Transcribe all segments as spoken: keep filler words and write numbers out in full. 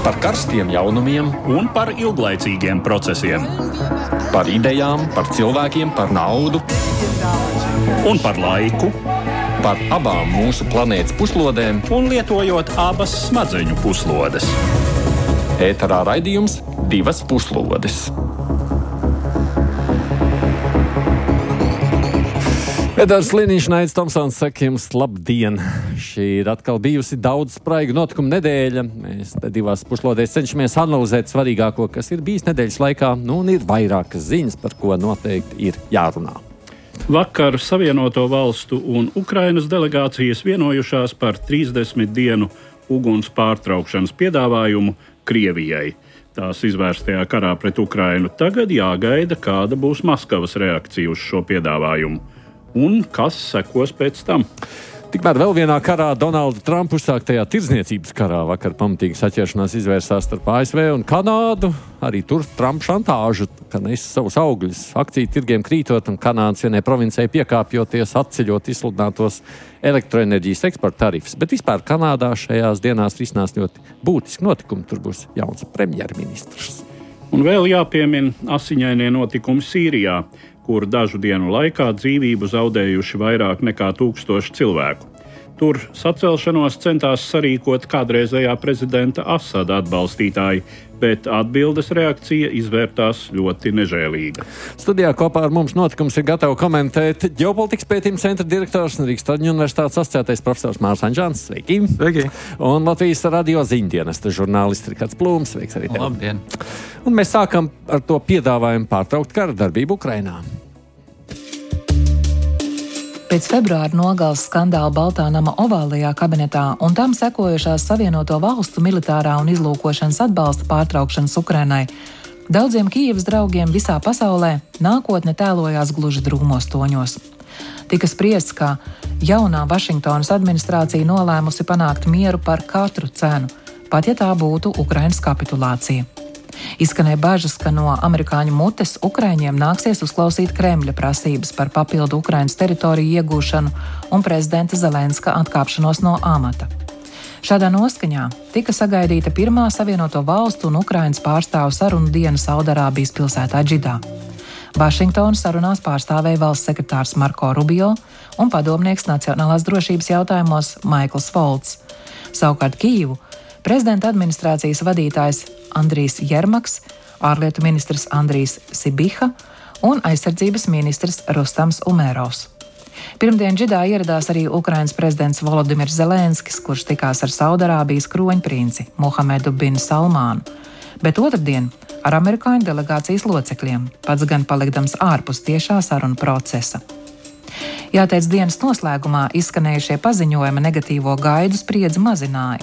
Par karstiem jaunumiem un par ilglaicīgiem procesiem. Par idejām, par cilvēkiem, par naudu. Un par laiku. Par abām mūsu planētas puslodēm. Un lietojot abas smadzeņu puslodes. Ēterā raidījums Divas puslodes. Edvards Liniņš, Naids Tomsons saka jums labdien. Šī ir atkal bijusi daudz spraigu notikumu nedēļa. Mēs te divās puslodēs cenšamies analizēt svarīgāko, kas ir bijis nedēļas laikā, nu un ir vairākas ziņas, par ko noteikti ir jārunā. Vakar Savienoto Valstu un Ukrainas delegācijas vienojušās par trīsdesmit dienu uguns pārtraukšanas piedāvājumu Krievijai. Tās izvērstajā karā pret Ukrainu tagad jāgaida, kāda būs Maskavas reakcija uz šo piedāvājumu. Un kas sekos pēc tam? Tikmēr vēl vienā karā, Donalda Trumpa uzsāktajā tirdzniecības karā, vakar pamatīga saķeršanās izvērsās starp A S V un Kanādu. Arī tur Trumpa šantāžu, ka nes savus augļus, akciju tirgiem krītot un Kanādas vienai provincei piekāpjoties, atceļot izsludinātos elektroenerģijas eksporta tarifus. Bet vispār Kanādā šajās dienās risinās ļoti būtiski notikumi. Tur būs jauns premjerministrs. Un vēl jāpiemina asiņainie notikumi Sīrijā, kur dažu dienu laikā dzīvību zaudējuši vairāk nekā tūkstoši cilvēku. Tur sacelšanos centās sarīkot kādreizējā prezidenta Asada atbalstītāji, bet atbildes reakcija izvērtās ļoti nežēlīga. Studijā kopā ar mums notikums ir gatava komentēt ģeopolitikas pētījuma centra direktors un Rīgas Traģiņu universitātes asociētais profesors Mārs Anžāns. Sveiki! Sveiki! Un Latvijas radio ziņdienesta žurnālists Rikards Plūms. Sveiks arī tev! Labdien! Un mēs sākam ar to piedāvājumu pārtraukt kara darbību Ukrainā. Pēc februāra nogales skandāla Baltā nama ovālajā kabinetā un tam sekojušās Savienoto Valstu militārā un izlūkošanas atbalsta pārtraukšanas Ukrainai, daudziem Kijevas draugiem visā pasaulē nākotne tēlojās gluži drūmos toņos. Tika spriests, ka jaunā Vašingtonas administrācija nolēmusi panākt mieru par katru cenu, pat ja tā būtu Ukrainas kapitulācija. Izskanēja bažas, ka no amerikāņu mutes Ukraiņiem nāksies uzklausīt Kremļa prasības par papildu Ukrainas teritoriju iegūšanu un prezidenta Zelenska atkāpšanos no amata. Šādā noskaņā tika sagaidīta pirmā Savienoto Valstu un Ukrainas pārstāvu sarunu diena Saudarābijas pilsētā Džidā. Vašingtonu sarunās pārstāvēja valsts sekretārs Marko Rubio un padomnieks nacionālās drošības jautājumos Maikls Volts. Savukārt Kijivu prezidenta administrācijas vadītājs Andrijs Jermaks, ārlietu ministrs Andrijs Sibiha un aizsardzības ministrs Rustams Umerovs. Pirmdien Džidā ieradās arī Ukrainas prezidents Volodimirs Zelenskis, kurš tikās ar Saudarābijas kroņprinci Muhamedu bin Salmānu, bet otrdien ar amerikāņu delegācijas locekļiem, pats gan palikdams ārpus tiešā sarunu procesa. Jāteic, dienas noslēgumā izskanējušie paziņojumi negatīvo gaidu spriedzi mazināja.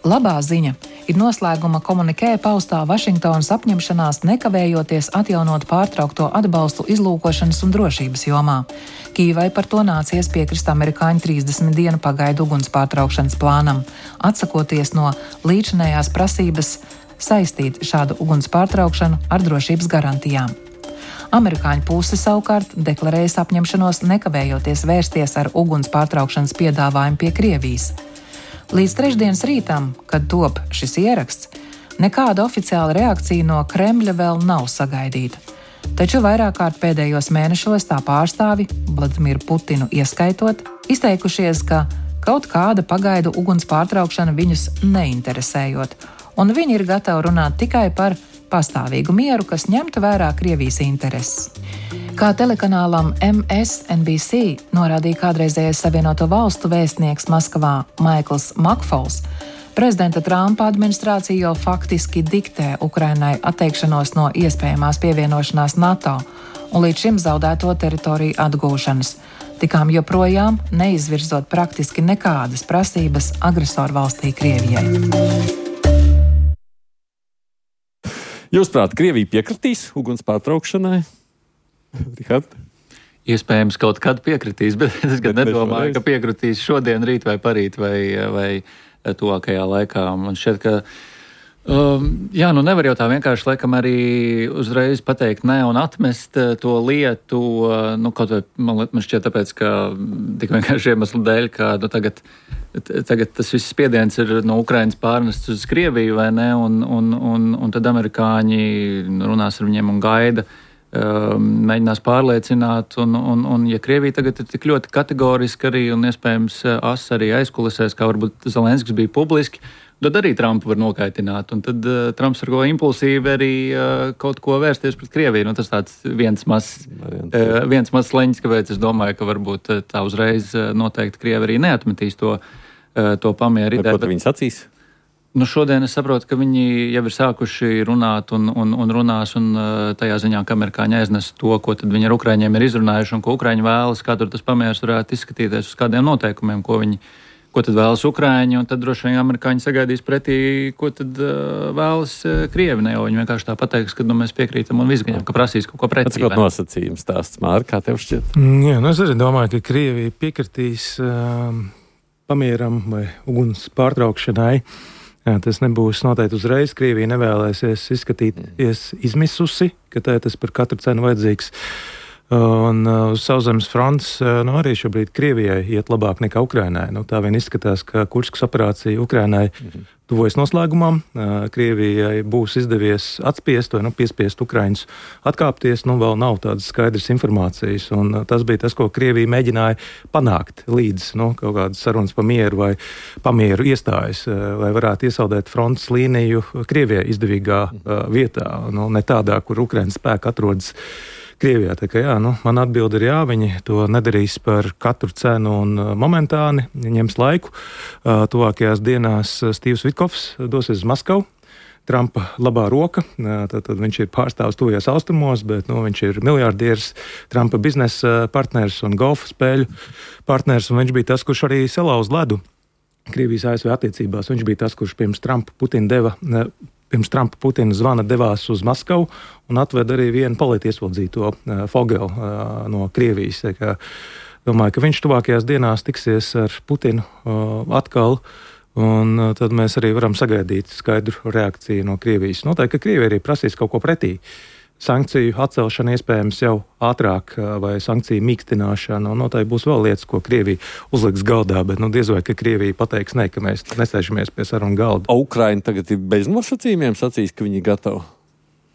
Labā ziņa ir noslēguma komunikē paustā Vašingtonas apņemšanās nekavējoties atjaunot pārtraukto atbalstu izlūkošanas un drošības jomā. Kijevai par to nācies piekrist amerikāņu trīsdesmit dienu pagaidu uguns pārtraukšanas plānam, atsakoties no līdzinējās prasības saistīt šādu uguns pārtraukšanu ar drošības garantijām. Amerikāņu puse savukārt deklarējas apņemšanos nekavējoties vērsties ar uguns pārtraukšanas piedāvājumu pie Krievijas. Līdz trešdienas rītam, kad top šis ieraksts, nekāda oficiāla reakcija no Kremļa vēl nav sagaidīta. Taču vairāk kārt pēdējos mēnešos tā pārstāvi, Vladimiru Putinu ieskaitot, izteikušies, ka kaut kāda pagaidu uguns pārtraukšana viņus neinteresējot, un viņi ir gatavi runāt tikai par pastāvīgu mieru, kas ņemtu vērā Krievijas intereses. Kā telekanālam M S N B C norādīja kādreizējais Savienoto Valstu vēstnieks Maskavā Maikls Makfols, prezidenta Trumpa administrācija jau faktiski diktē Ukrainai atteikšanos no iespējamās pievienošanās NATO un līdz šim zaudēto teritoriju atgūšanas, tikām joprojām neizvirzot praktiski nekādas prasības agresoru valstī Krievijai. Jūsuprāt, Krievija piekritīs uguns pārtraukšanai? Rihard? Iespējams, kaut kad piekritīs, bet es gan nedomāju, ka piekritīs šodien, rīt vai parīt vai, vai tuvākajā laikā. Man šķiet, ka Um, jā, nu nevar jau tā vienkārši laikam arī uzreiz pateikt nē un atmest to lietu, nu kaut vai man, man šķiet tāpēc, ka tik vienkārši iemeslu dēļ, ka nu, tagad, tagad tas viss spiediens ir no Ukrainas pārnests uz Krieviju, vai ne, un, un, un, un tad amerikāņi runās ar viņiem un gaida, um, mēģinās pārliecināt, un, un, un ja Krievija tagad ir tik ļoti kategoriski arī un iespējams as arī aizkulisēs, kā varbūt Zelenskis bija publiski, tad arī Trumpu var nokaitināt, un tad uh, Trumps var ko impulsīvi arī uh, kaut ko vērsties pret Krieviju. Nu, tas tāds viens mazs uh, viens mazs leņķis, kāpēc es domāju, ka varbūt uh, tā uzreiz uh, noteikti Krievi arī neatmetīs to, uh, to pamieru ideju. Ko tu viņi sacīs? Nu, šodien es saprotu, ka viņi jau ir sākuši runāt un, un, un runās, un uh, tajā ziņā, ka amerikāņi aiznes to, ko tad viņi ar Ukraiņiem ir izrunājuši, un ko Ukraiņi vēlas, kā tur tas pamieris varētu izskatīties uz kādiem noteikumiem, ko viņi ko tad vēlas Ukraiņi, un tad droši vien amerikāņi sagaidīs pretī, ko tad uh, vēlas uh, Krievi, ne jau viņi vienkārši tā pateiks, ka nu, mēs piekrītam un visgaņam, ka prasīs kaut ko pretī. Pats kaut nosacījums stāsts, Māri, kā tev šķiet? Jā, nu es arī domāju, ka Krievija piekritīs um, pamieram vai uguns pārtraukšanai. Jā, tas nebūs noteikti uzreiz. Krievija nevēlēsies izskatīties izmisusi, ka tā tas par katru cenu vajadzīgs. Un uz uh, sauszemes fronts uh, nu, arī šobrīd Krievijai iet labāk nekā Ukrainai. Nu, tā vien izskatās, ka Kurskas operācija Ukrainai mm-hmm. tuvojas noslēgumam. Uh, Krievijai būs izdevies atspiest vai nu, piespiest Ukraiņus atkāpties. Nu, vēl nav tādas skaidras informācijas. Un, uh, tas bija tas, ko Krievija mēģināja panākt līdz nu, kaut kādas sarunas pa mieru vai pamieru iestājas, uh, lai varētu iesaldēt frontes līniju Krievijai izdevīgā uh, vietā. Nu, ne tādā, kur Ukraiņas spēki atrodas Krievijā. Tā kā jā, nu, man atbilde ir jā, viņi to nedarīs par katru cenu un uh, momentāni, ņems laiku. Uh, tuvākajās dienās Stīvs Vitkovs dosies uz Maskavu, Trumpa labā roka, uh, tad, tad viņš ir pārstāvs tuvajos austrumos, bet nu, viņš ir miljardieris, Trumpa biznesa partners un golfa spēļu partners, un viņš bija tas, kurš arī salauz ledu Krievijas A S V attiecībās. Viņš bija tas, kurš pirms Trumpa Putina deva ne, Pirms Trumpa Putina zvana devās uz Maskavu un atveda arī vienu politieslodzīto uh, Fogelu uh, no Krievijas. Kā, domāju, ka viņš tuvākajās dienās tiksies ar Putinu uh, atkal, un uh, tad mēs arī varam sagaidīt skaidru reakciju no Krievijas. Noteikti, ka Krievija arī prasīs kaut ko pretī. Sankciju atcelšana iespējams jau ātrāk vai sankciju mīkstināšana, un noteikti būs vēl lietas, ko Krievija uzliks galdā, bet nu, diez vai, ka Krievija pateiks ne, ka mēs nesēžamies pie sarunu galda. O Ukraina tagad ir bez nosacījumiem sacīs, ka viņi ir gatavi.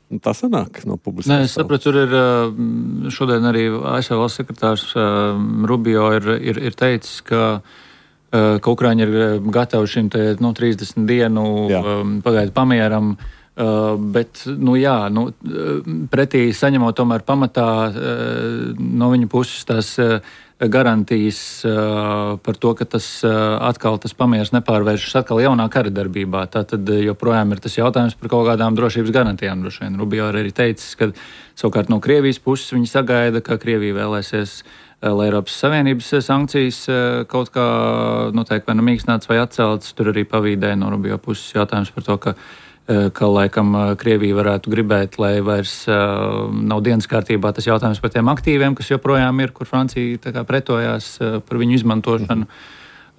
Un tā sanāk no publiskās. Nē, es sapratu, tur ir šodien arī A S V valsts sekretārs Rubio ir, ir, ir teicis, ka, ka Ukraiņi ir gatavi šim te, nu, trīsdesmit dienu pagaidu pamieram. Uh, bet, nu jā, nu, pretī saņemot tomēr pamatā uh, no viņa puses tās uh, garantijas uh, par to, ka tas uh, atkal tas pamieris nepārvēršas atkal jaunā kara darbībā. Tātad joprojām ir tas jautājums par kaut kādām drošības garantijām. Droši vien Rubio arī teicis, ka savukārt no Krievijas puses viņi sagaida, ka Krievija vēlēsies, uh, lai Eiropas Savienības sankcijas uh, kaut kā noteikti vai nu mīkstināts vai atceltas. Tur arī pavīdēja no Rubio puses jautājums par to, ka ka laikam Krievija varētu gribēt, lai vairs uh, nav dienas kārtībā tas jautājums par tiem aktīviem, kas joprojām ir, kur Francija tā kā pretojās uh, par viņu izmantošanu.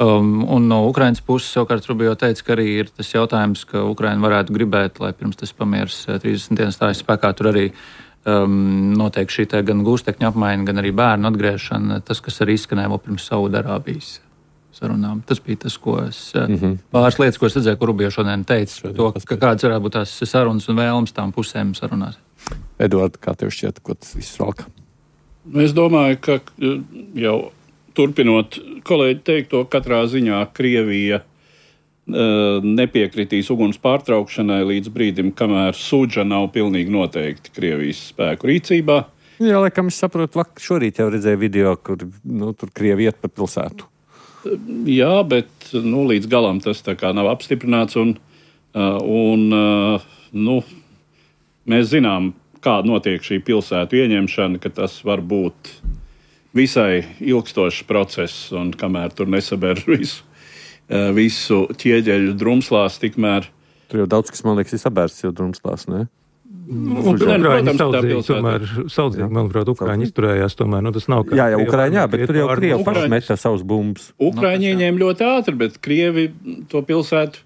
Um, un no Ukrainas puses savukārt Rubio teica, ka arī ir tas jautājums, ka Ukraina varētu gribēt, lai pirms tas pamieris trīsdesmit dienas stājas spēkā, tur arī um, notiek šī tā gan gūstekņu apmaiņa, gan arī bērnu atgriešana, tas, kas arī izskanēja vēl pirms Saudarābijas sarunām. Tas bija tas, ko es, mm-hmm. pāris lietas, ko es redzēju, ko Rubio šodien teica, to, ka kādas varētu būt tās sarunas un vēlmes tām pusēm sarunās. Eduard, kā tev šķiet, ko tas viss valka? Es domāju, ka jau turpinot kolēģi teikto, katrā ziņā Krievija uh, nepiekritīs uguns pārtraukšanai līdz brīdim, kamēr Sudža nav pilnīgi noteikti Krievijas spēku rīcībā. Jā, laikam es saprotu, šorīt jau redzēju video, kur nu, tur Krievi iet pa pilsētu. Jā, bet nu, līdz galam tas tā kā nav apstiprināts, un, un nu, mēs zinām, kā notiek šī pilsētu ieņemšana, ka tas var būt visai ilgstošs process, un kamēr tur nesaber visu, visu ķieģeļu drumslās, tikmēr. Tur jau daudz, kas, man liekas, ir sabērts jau drumslās, ne? Nu, Ukraiņi saudzīgi, tomēr saudzīgi, manuprāt, Ukraiņi izturējās, tomēr, nu tas nav kā... Jā, jā, Ukraiņi, jā, bet tur jau Krievi paši meta savus bumbas. Ukraiņi ieņēma ļoti ātri, bet Krievi to pilsētu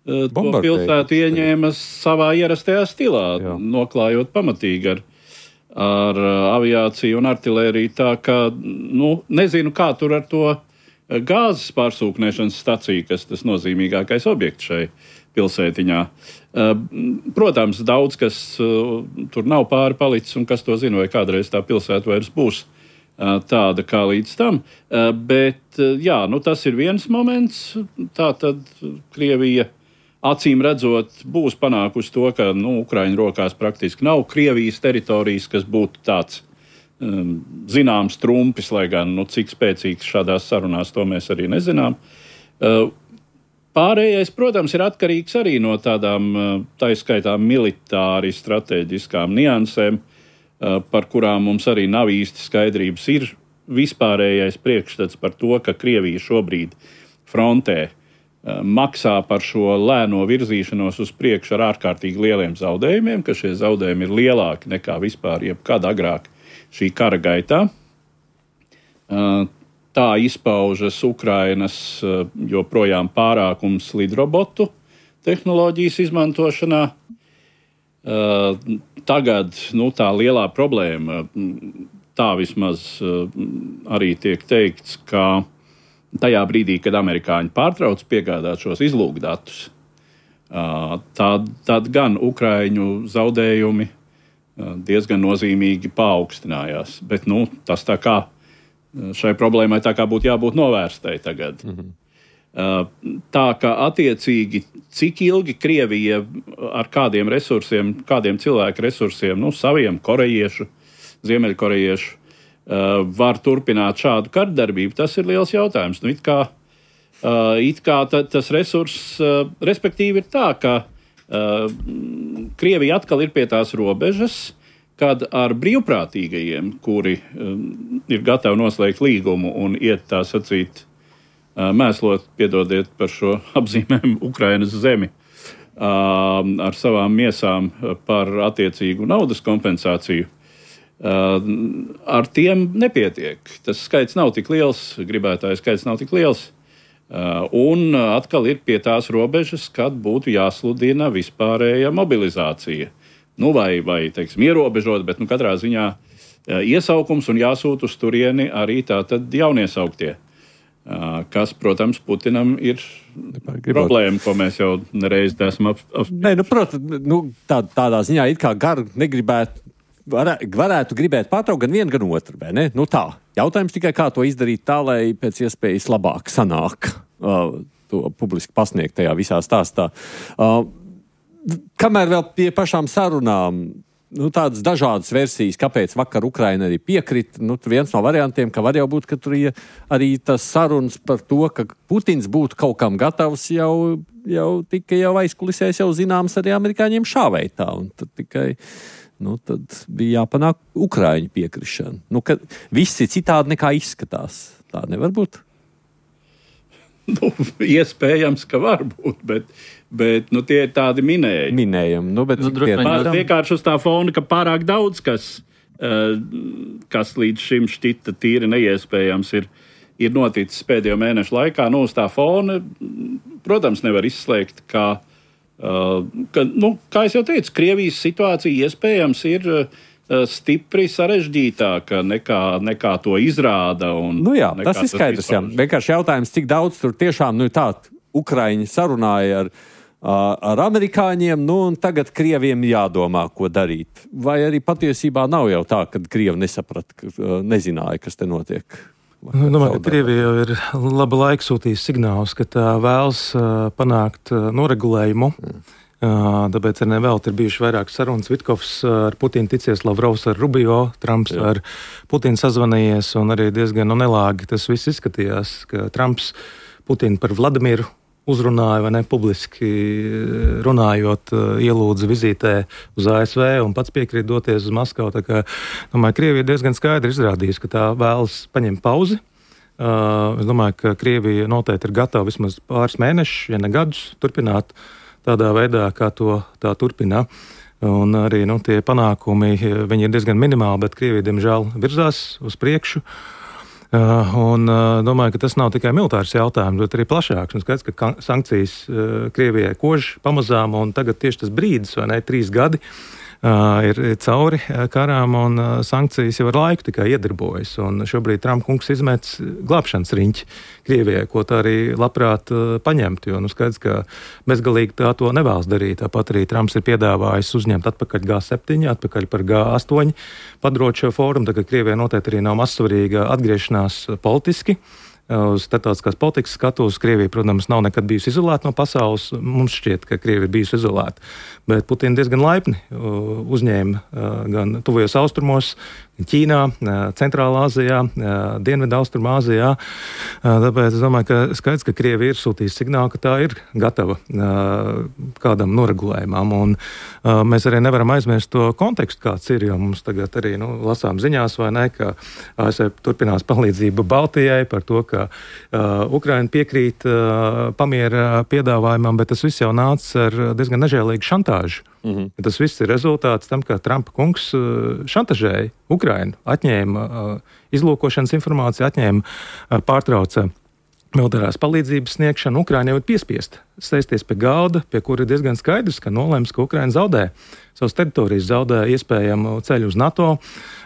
to pilsētu ieņēma savā ierastajā stilā, Jā. noklājot pamatīgi ar, ar aviāciju un artilēriju. Tā kā, nu, nezinu, kā tur ar to gāzes pārsūknēšanas staciju, kas tas nozīmīgākais objekts šai pilsētiņā. Protams, daudz, kas tur nav pāri palicis un kas to zina, vai kādreiz tā pilsēta vairs būs tāda kā līdz tam. Bet, jā, nu tas ir viens moments. Tā tad Krievija acīm redzot būs panākusi to, ka nu, Ukraiņu rokās praktiski nav Krievijas teritorijas, kas būtu tāds um, zināms trumpis, lai gan nu, cik spēcīgs šādās sarunās to mēs arī nezinām. Uh, Pārējais, protams, ir atkarīgs arī no tādām taiskaitām militāri strateģiskām niansēm, par kurām mums arī nav īsti skaidrības. Ir vispārējais priekšstats par to, ka Krievija šobrīd frontē maksā par šo lēno virzīšanos uz priekšu ar ārkārtīgi lieliem zaudējumiem, ka šie zaudējumi ir lielāki nekā vispār jebkad agrāk šī kara gaitā. Tā izpaužas Ukrainas joprojām pārākums lidrobotu tehnoloģijas izmantošanā. Tagad nu, tā lielā problēma, tā vismaz arī tiek teikts, ka tajā brīdī, kad amerikāņi pārtrauc piegādāt šos izlūkdatus, tad, tad gan Ukraiņu zaudējumi diezgan nozīmīgi paaugstinājās. Bet nu, tas tā kā šai problēmai tā kā būtu jābūt novērstai tagad. Mm-hmm. Tā kā attiecīgi, cik ilgi Krievija ar kādiem resursiem, kādiem cilvēku resursiem, nu, saviem korejiešu, ziemeļkorejiešu, var turpināt šādu kardarbību, tas ir liels jautājums. Nu, it kā, it kā ta, tas resurss, respektīvi ir tā, ka Krievija atkal ir pie tās robežas, kad ar brīvprātīgajiem, kuri um, ir gatavi noslēgt līgumu un iet tā sacīt, uh, mēslot, piedodiet par šo apzīmējumu, Ukrainas zemi, uh, ar savām miesām par attiecīgu naudas kompensāciju, uh, ar tiem nepietiek. Tas skaits nav tik liels, gribētāju skaits nav tik liels, uh, un atkal ir pie tās robežas, kad būtu jāsludina vispārēja mobilizācija. Nu, vai, vai teiksim, ierobežot, bet nu, katrā ziņā iesaukums un jāsūt uz turieni arī tātad jauniesauktie, kas, protams, Putinam ir Gribot. problēma, ko mēs jau nereiz esam ap... ap... Nē, nu, protams, nu, tā, tādā ziņā it kā garu negribētu, varē, varētu gribēt pārtraukt gan vienu, gan otru, vai ne? Nu tā, jautājums tikai, kā to izdarīt tā, lai pēc iespējas labāk sanāk uh, to publiski pasniegt tajā visā stāstā. Uh, Kamēr vēl pie pašām sarunām, nu, tādas dažādas versijas, kāpēc vakar Ukraina arī piekrita, nu, viens no variantiem, ka var jau būt, ka tur arī tas sarunas par to, ka Putins būtu kaut kam gatavs, jau, jau tika jau aizkulisēs jau zināms arī amerikāņiem šā veitā, un tad tikai, nu, tad bija jāpanāk Ukraiņu piekrišana. Nu, ka viss ir citādi nekā izskatās. Tā nevar būt? Nu, iespējams, ka var būt, bet, bet nu, tie ir tādi minēji. Minējumi. Nu, bet nu, vienkārši uz tā fona, ka pārāk daudz, kas, uh, kas līdz šim šķita tīri neiespējams, ir, ir noticis pēdējo mēnešu laikā. Nu, uz tā fona, protams, nevar izslēgt, ka, uh, ka nu, kā es jau teicu, Krievijas situācija iespējams ir uh, stipri sarežģītāka nekā, nekā to izrāda. Un nu jā, tas ir skaidrs. Jā. Vienkārši jautājums, cik daudz tur tiešām nu, tā Ukraiņi sarunāja ar, ar amerikāņiem, nu un tagad Krieviem jādomā, ko darīt. Vai arī patiesībā nav jau tā, ka Krievi nesaprata, nezināja, kas te notiek? Es domāju, ka Krievija jau ir laba laika sūtījis signālus, ka tā vēlas panākt noregulējumu. Mm. Tāpēc arī nevēlt ir bijuši vairāk sarunas. Vitkovs ar Putinu ticies, Lavrovs ar Rubio, Trumps Jā. ar Putinu sazvanījies, un arī diezgan nu, nelāgi tas viss izskatījās, ka Trumps Putinu par Vladimiru uzrunāja, vai ne, publiski runājot, ielūdza vizītē uz A S V un pats piekrīt doties uz Maskavu. Tā kā, domāju, Krievija diezgan skaidri izrādījusi, ka tā vēlas paņemt pauzi. Uh, es domāju, ka Krievija noteikti ir gatava vismaz pāris mēnešus, ja ne gadus, turpināt tādā veidā, kā to tā turpina. Un arī nu, tie panākumi, viņi ir diezgan minimāli, bet Krievija, diemžēl, virzās uz priekšu. Un domāju, ka tas nav tikai militārs jautājums, bet arī plašāks. Un skaidrs, ka sankcijas Krievijai kož pamazām, un tagad tieši tas brīdis, vai ne, trīs gadi, ir cauri karām, un sankcijas jau ar laiku tikai iedarbojas. Un šobrīd Trumpa kungs izmets glābšanas riņķi Krievijai, ko tā arī labprāt paņemt, jo nu skaidrs, ka bezgalīgi tā to nevēlas darīt. Tāpat arī Trumps ir piedāvājis uzņemt atpakaļ G septiņi, atpakaļ par G astoņi, padarot šo fórumu, tagad Krievijai noteikti arī nav mazsvarīga atgriešanās politiski. Uz starptautiskās politikas skatuves Krievija, protams, nav nekad bijusi izolēta no pasaules. Mums šķiet, ka Krievija ir bijusi izolēta. Bet Putina diezgan laipni uzņēma gan tuvajos austrumos, Ķīnā, Centrālā Āzijā, Dienvidu Austrumāzijā. Tāpēc es domāju, ka skaidrs, ka Krievija ir sūtījusi signālu, ka tā ir gatava kādam noregulējumam. Un mēs arī nevaram aizmirst to kontekstu, kāds ir, jo mums tagad arī nu, lasām ziņās, vai ne, ka A S V turpinās palīdzība Baltijai par to, ka uh, Ukraina piekrīt uh, pamiera piedāvājumam, bet tas viss jau nāca ar diezgan nežēlīgu šantāžu. Mm-hmm. Tas viss ir rezultāts tam, ka Trumpa kungs uh, šantažēja Ukrainu, atņēma uh, izlūkošanas informāciju, atņēma, uh, pārtrauca militārās palīdzības sniegšanu. Ukraina jau ir piespiesta sēsties pie galda, pie kura ir diezgan skaidrs, ka nolēms, ka Ukraina zaudē savas teritorijas, zaudē iespējamu ceļu uz NATO.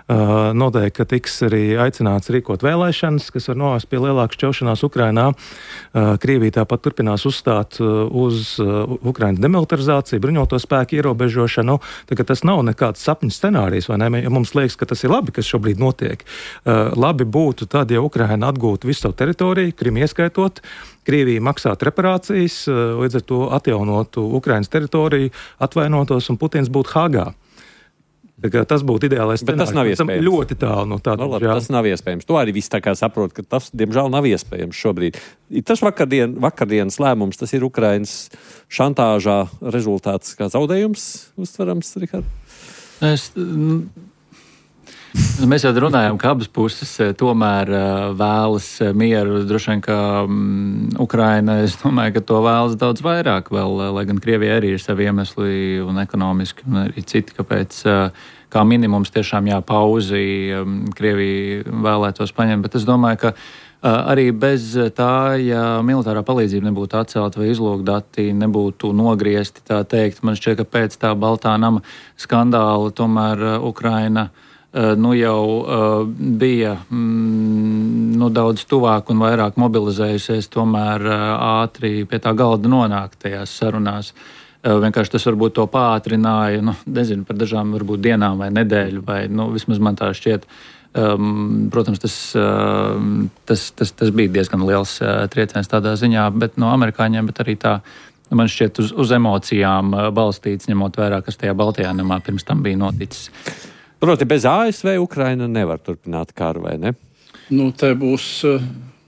Uh, noteikti, ka tiks arī aicināts rīkot vēlēšanas, kas var novest pie lielākas šķelšanās Ukrainā. Uh, Krievija tāpat turpinās uzstāt uh, uz uh, Ukrainas demilitarizāciju, bruņoto spēku ierobežošanu. Tā, tas nav nekāds sapņu scenārijs, vai ne? Ja mums liekas, ka tas ir labi, kas šobrīd notiek. Uh, labi būtu tad, ja Ukraina atgūtu visu savu teritoriju, Krimu ieskaitot, Krievija maksātu reparācijas, uh, līdz ar to atjaunotu Ukrainas teritoriju, atvainotos un Putins būtu Hāgā. Tas būtu ideālais scenārijs. Bet tas nav iespējams. Ļoti tālu no tāda. No, labi, tas nav iespējams. To arī viss tā kā saprot, ka tas, diemžēl, nav iespējams šobrīd. Tas vakardien, vakardienas lēmums, tas ir Ukrainas šantāžā rezultāts kā zaudējums, uztverams, Rihard? Es... Mēs jau runājām, ka abas puses tomēr vēlas mieru. Droši vien, ka um, Ukraina, es domāju, ka to vēlas daudz vairāk vēl, lai gan Krievija arī ir savi iemesli un ekonomiski un arī citi, kāpēc kā minimums tiešām jāpauzi um, Krievija vēlētos paņemt. Bet es domāju, ka uh, arī bez tā, ja militārā palīdzība nebūtu atcelta vai izlūkdati nebūtu nogriezti, tā teikt, man šķiet, ka pēc tā Baltā nama skandāla tomēr uh, Ukraina Uh, nu jau uh, bija mm, nu, daudz tuvāk un vairāk mobilizējusies, tomēr uh, ātri pie tā galda nonākt tajās sarunās. Uh, vienkārši tas varbūt to pātrināja, nu, nezinu, par dažām varbūt dienām vai nedēļu, vai nu, vismaz man tā šķiet. Um, protams, tas, uh, tas, tas, tas bija diezgan liels uh, trieciens tādā ziņā, bet no amerikāņiem, bet arī tā, man šķiet, uz, uz emocijām uh, balstīts, ņemot vērā, kas tajā Baltijā namā pirms tam bija noticis. Proti, bez A S V Ukraina nevar turpināt karu, vai ne? Nu, te būs...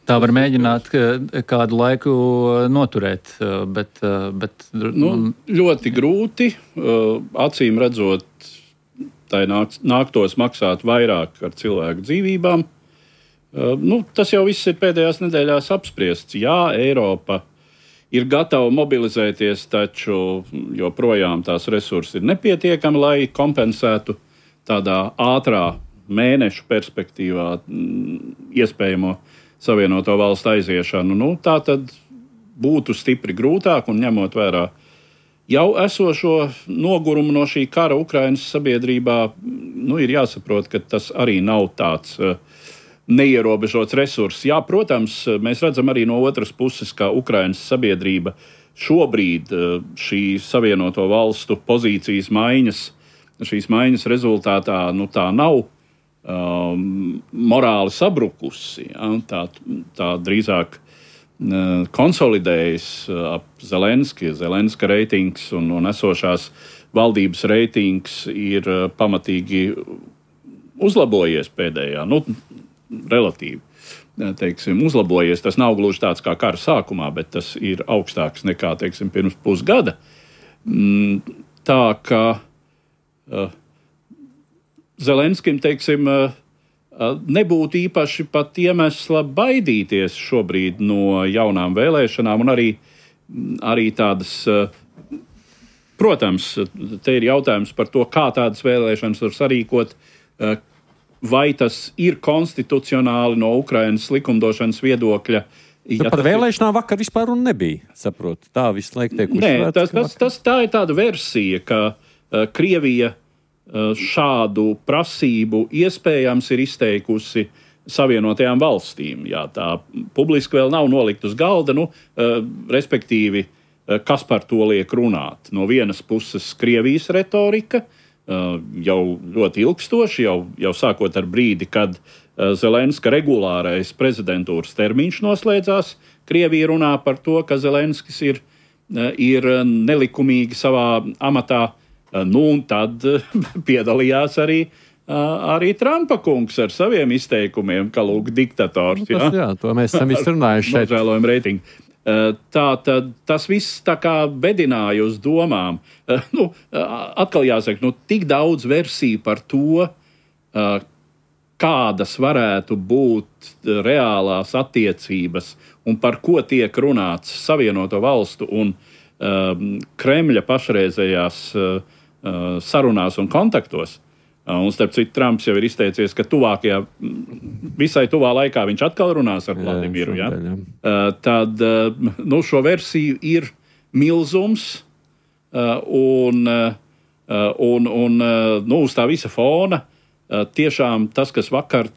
Tā var mēģināt kādu laiku noturēt, bet... bet nu, ļoti grūti. Acīm redzot, tai nāk, nāktos maksāt vairāk ar cilvēku dzīvībām. Nu, tas jau viss ir pēdējās nedēļās apspriests. Jā, Eiropa ir gatava mobilizēties, taču joprojām tās resursi ir nepietiekami, lai kompensētu tādā ātrā mēnešu perspektīvā iespējamo savienoto valstu aiziešanu. Nu, tā tad būtu stipri grūtāk, un ņemot vērā jau esošo nogurumu no šī kara Ukrainas sabiedrībā, nu, ir jāsaprot, ka tas arī nav tāds uh, neierobežots resurss. Jā, protams, mēs redzam arī no otras puses, ka Ukrainas sabiedrība šobrīd uh, šī savienoto valstu pozīcijas maiņas Šīs maiņas rezultātā nu, tā nav um, morāli sabrukusi. Ja? Tā, tā drīzāk uh, konsolidējas ap Zelenski. Zelenska reitings un, un esošās valdības reitings ir uh, pamatīgi uzlabojies pēdējā, nu, relatīvi. Teiksim, uzlabojies. Tas nav gluži tāds kā kara sākumā, bet tas ir augstāks nekā, teiksim, pirms pusgada. Mm, tā kā Uh, Zelenskim, teiksim, uh, uh, nebūtu īpaši pat iemesla baidīties šobrīd no jaunām vēlēšanām, un arī, arī tādas, uh, protams, te ir jautājums par to, kā tādas vēlēšanas var sarīkot, uh, vai tas ir konstitucionāli no Ukrainas likumdošanas viedokļa. Ja par vēlēšanām vakar vispār un nebija, saprotu. Tā visu laiku tiek uzsvērts. Nē, tas, tas, tas, tā ir tāda versija, ka uh, Krievija uh, šādu prasību iespējams ir izteikusi Savienotajām valstīm. Jā, tā publiski vēl nav nolikt uz galda, nu, uh, respektīvi, uh, kas par to liek runāt. No vienas puses Krievijas retorika, uh, jau ļoti ilgstoši, jau, jau sākot ar brīdi, kad uh, Zelenska regulārais prezidentūras termiņš noslēdzās. Krievija runā par to, ka Zelenskis ir, uh, ir nelikumīgi savā amatā, uh, nu un tad uh, piedalījās arī Arī Trumpa kungs ar saviem izteikumiem, ka lūk diktators. Nu, tas, jā, to mēs esam izrunājuši šeit. Nožēlojam reitingu. Tā tad tas viss tā kā bedināja uz domām. Nu, atkal jāsaka, nu, tik daudz versiju par to, kādas varētu būt reālās attiecības un par ko tiek runāts Savienoto valstu un Kremļa pašreizējās sarunās un kontaktos. Un, starp citu, Trumps jau ir izteicies, ka tuvākajā, visai tuvā laikā viņš atkal runās ar Vladimiru. Jā, jā. Uh, tad uh, nu, šo versiju ir milzums, uh, un, uh, un, un uh, nu, uz tā visa fona uh, tiešām tas, kas vakar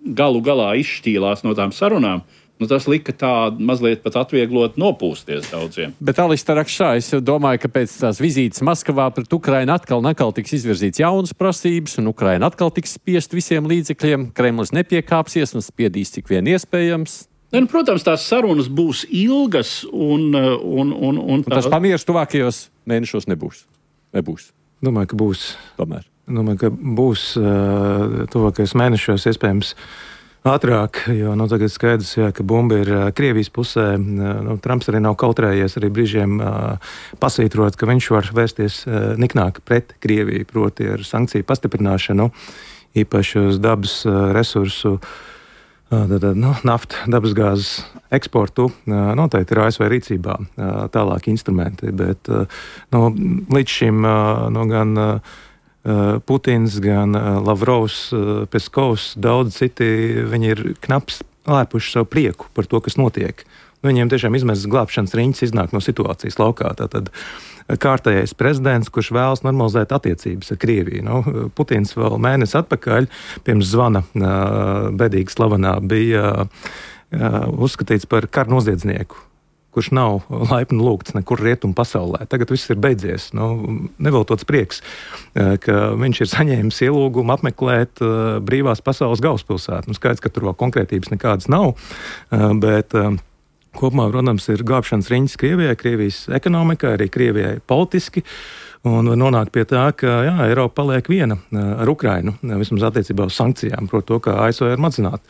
galu galā izšķīlās no tām sarunām, nu, tas lika tā mazliet pat atvieglot nopūsties daudziem. Bet, Alistar Rakšā, es domāju, ka pēc tās vizītes Maskavā pret Ukrainu atkal un atkal tiks izvirzīts jaunas prasības, un Ukraina atkal tiks spiest visiem līdzekļiem. Kremlis nepiekāpsies un spiedīs cik vien iespējams. Ne, nu, protams, tās sarunas būs ilgas, un, un, un, un, tā... un tas pamieris tuvākajos mēnešos nebūs. Nebūs. Domāju, ka būs. Tomēr. Domāju, ka būs uh, tuvākajos mēnešos iespējams ātrāk, jo nu, tagad skaidrs, jā, ka bumba ir uh, Krievijas pusē. Uh, nu, Trumps arī nav kautrējies arī brīžiem uh, pasvītrot, ka viņš var vērsties uh, niknāk pret Krieviju, proti ar sankciju pastiprināšanu, īpaši uz dabas uh, resursu, uh, tad, nu, nafta, dabasgāzes eksportu. Uh, noteikti ir A S V rīcībā uh, tālāki instrumenti, bet uh, nu, līdz šim uh, nu, gan uh, Putins, gan Lavrovs, Peskovs, daudz citi, viņi ir knaps lēpuši savu prieku par to, kas notiek. Viņiem tiešām izmēs glābšanas riņķis iznāk no situācijas laukā. Tātad kārtējais prezidents, kurš vēlas normalizēt attiecības ar Krieviju. Nu, Putins vēl mēnesi atpakaļ, pirms zvana bedīgi slavenā, bija uzskatīts par karnoziedznieku, kurš nav laipni lūgts nekur rietumu pasaulē. Tagad viss ir beidzies. Nu, neveltots prieks, ka viņš ir saņēmis ielūgumu apmeklēt brīvās pasaules galvaspilsētu. Nu, skaidrs, ka tur vēl konkrētības nekādas nav, bet kopumā, protams, ir glābšanas riņķis Krievijai, Krievijas ekonomikai, arī Krievijai politiski. Un nonāk pie tā, ka jā, Eiropa paliek viena ar Ukrainu, vismaz attiecībā uz sankcijām, proti to, kā A S V ir mazināt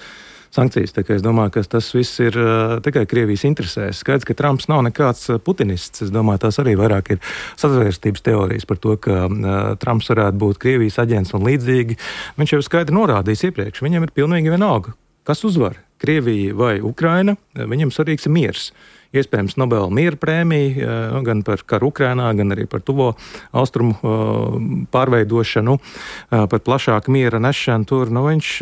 sankcijas. Tā kā es domāju, ka tas viss ir uh, tikai Krievijas interesēs. Skaidrs, ka Trumps nav nekāds uh, putinists. Es domāju, tās arī vairāk ir sazvērstības teorijas par to, ka uh, Trumps varētu būt Krievijas aģents un līdzīgi. Viņš jau skaidri norādījis iepriekš. Viņam ir pilnīgi vienalga, kas uzvar, Krievija vai Ukraina. Viņam svarīgs ir miers. Iespējams, Nobela miera prēmija gan par karu Ukrainā, gan arī par tuvo austrumu pārveidošanu, par plašāku miera nešanu tur. Nu, viņš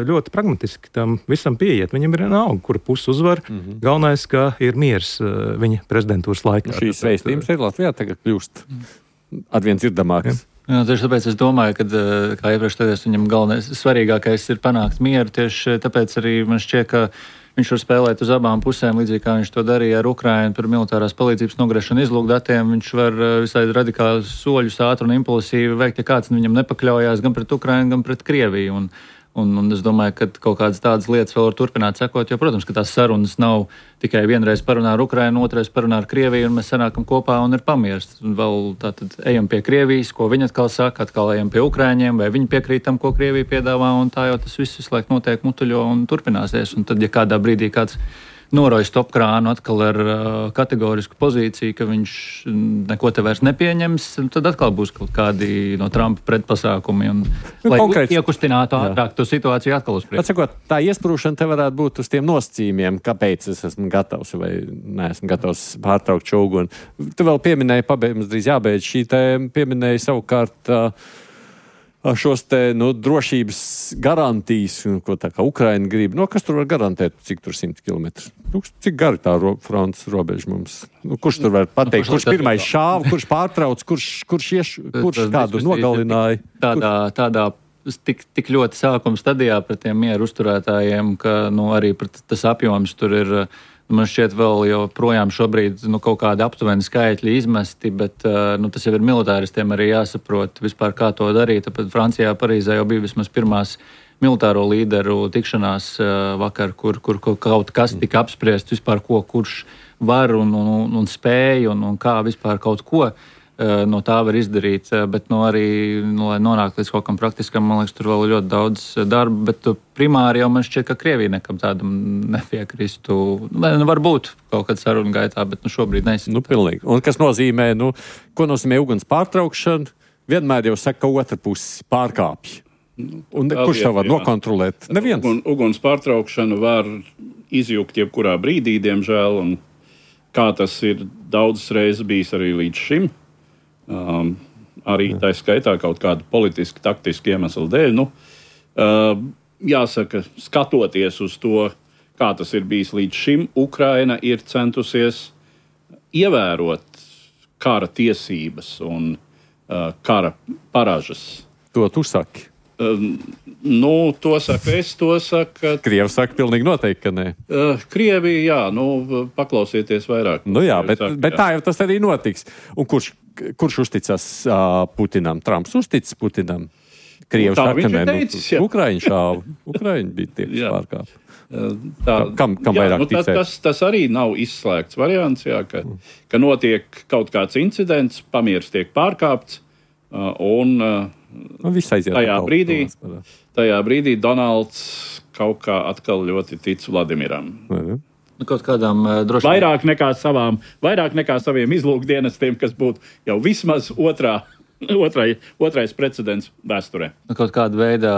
ļoti pragmatiski tam visam pieiet. Viņam ir vienalga, kura puse uzvar. Mm-hmm. Galvenais, ka ir miers viņa prezidentūras laikā. Šīs vēstījums ir Latvijā tagad kļūst arvien dzirdamāks. Jā, tieši tāpēc es domāju, ka, kā iepriekš teicu, viņam galvenais, svarīgākais ir panākt mieru. Tieši tāpēc arī man šķiet, ka viņš var spēlēt uz abām pusēm, līdzīgi kā viņš to darīja ar Ukrainu par militārās palīdzības nogriešanu izlūkdatiem. Viņš var visai radikāli soļus ātri un impulsīvi veikt, ja kāds viņam nepakļaujās gan pret Ukrainu, gan pret Krieviju. Un, un, un es domāju, ka kaut kādas tādas lietas vēl var turpināt sekot, jo, protams, ka tās sarunas nav tikai vienreiz parunā ar Ukrainu, otrais parunā ar Krieviju, un mēs sanākam kopā un ir pamieris. Un vēl tātad ejam pie Krievijas, ko viņi atkal saka, atkal ejam pie Ukraiņiem, vai viņi piekrīt tam, ko Krievija piedāvā, un tā jau tas viss visu laiku notiek mutuļo un turpināsies. Un tad, ja kādā brīdī kāds noroja stopkrānu atkal ar uh, kategorisku pozīciju, ka viņš neko te vairs nepieņems, tad atkal būs kaut kādi no Trumpa pretpasākumi, un, nu, lai konkrēts, iekustinātu ātrāk to situāciju atkal uz priekšu. Atsakot, tā iesprūšana te varētu būt uz tiem nosacījumiem, kāpēc es esmu gatavs vai neesmu gatavs pārtraukt šo uguni. Tu vēl pieminēji, pabeigums drīz jābeidz šī tēma, pieminēji savukārt uh, šos te, nu, drošības garantijas, ko tā kā Ukraina grib. No, kas tur var garantēt, cik tur simt kilometri? Nu, cik gari tā ro, frontes robeža mums? Nu, kurš tur var pateikt, kurš pirmais šāva, kurš pārtrauc, kurš, kurš, ieš, kurš kādu nogalināja? Tādā, tādā tik, tik ļoti sākuma stadijā pret tiem mieru uzturētājiem, ka, nu, arī tas apjoms tur ir... Man šķiet, vēl joprojām šobrīd nu, kaut kādi aptuveni skaitļi izmesti, bet nu, tas jau ir militāristiem arī jāsaprot vispār, kā to darīt. Tāpēc Francijā, Parīzē jau bija vismaz pirmās militāro līderu tikšanās vakar, kur, kur kaut kas tika apspriests vispār, ko kurš var un, un, un spēj un, un kā vispār kaut ko no tā var izdarīt, bet nu, arī, nu, lai nonāktu līdz kaut kam praktiskam, man liekas, tur vēl ļoti daudz darba, bet primāri jau man šķiet, ka Krievija nekam tādam nepiekristu. Nu, varbūt kaut kad sarunu gaitā, bet nu, šobrīd neizskatās. Nu, pilnīgi. Un kas nozīmē, nu, ko nozīmē uguns pārtraukšana? Vienmēr jau saka, ka otra pusi pārkāpj. Un kurš tā var jā. nokontrolēt? Neviens. Un, uguns pārtraukšanu var izjūgt jebkurā brīdī, diemžēl, un kā tas ir daudzas reizes bijis arī līdz šim. Um, arī tā skaitā kaut kādu politiski, taktiski iemeslu dēļ. Nu, uh, jāsaka, skatoties uz to, kā tas ir bijis līdz šim, Ukraina ir centusies ievērot kara tiesības un uh, kara paražas. To tu saki? Uh, nu, to saka es, to saka... Krievi saka pilnīgi noteikti, ka nē. Uh, Krievija, jā, nu, paklausieties vairāk. Nu jā, bet, saka, bet jā. tā jau tas arī notiks. Un kurš Kurš uzticas uh, Putinam? Trumps uzticas Putinam? Krievs nu, saka, nē, teicis, nu, Ukraiņi šāva. Ukraiņi bija tie, kas pārkāpa. Tā, kam kam jā, vairāk nu, tas, tas, tas arī nav izslēgts variants, jā, ka, mm. ka notiek kaut kāds incidents, pamieris tiek pārkāpts, uh, un uh, tajā, brīdī, tajā brīdī Donalds kaut kā atkal ļoti tic Vladimiram. Mm. Nu, kaut kādām uh, droši... Vairāk nekā savām, vairāk nekā saviem izlūkdienestiem, kas būtu jau vismaz otrā, otrai, otrais precedents vēsturē. Nu, kaut kāda veida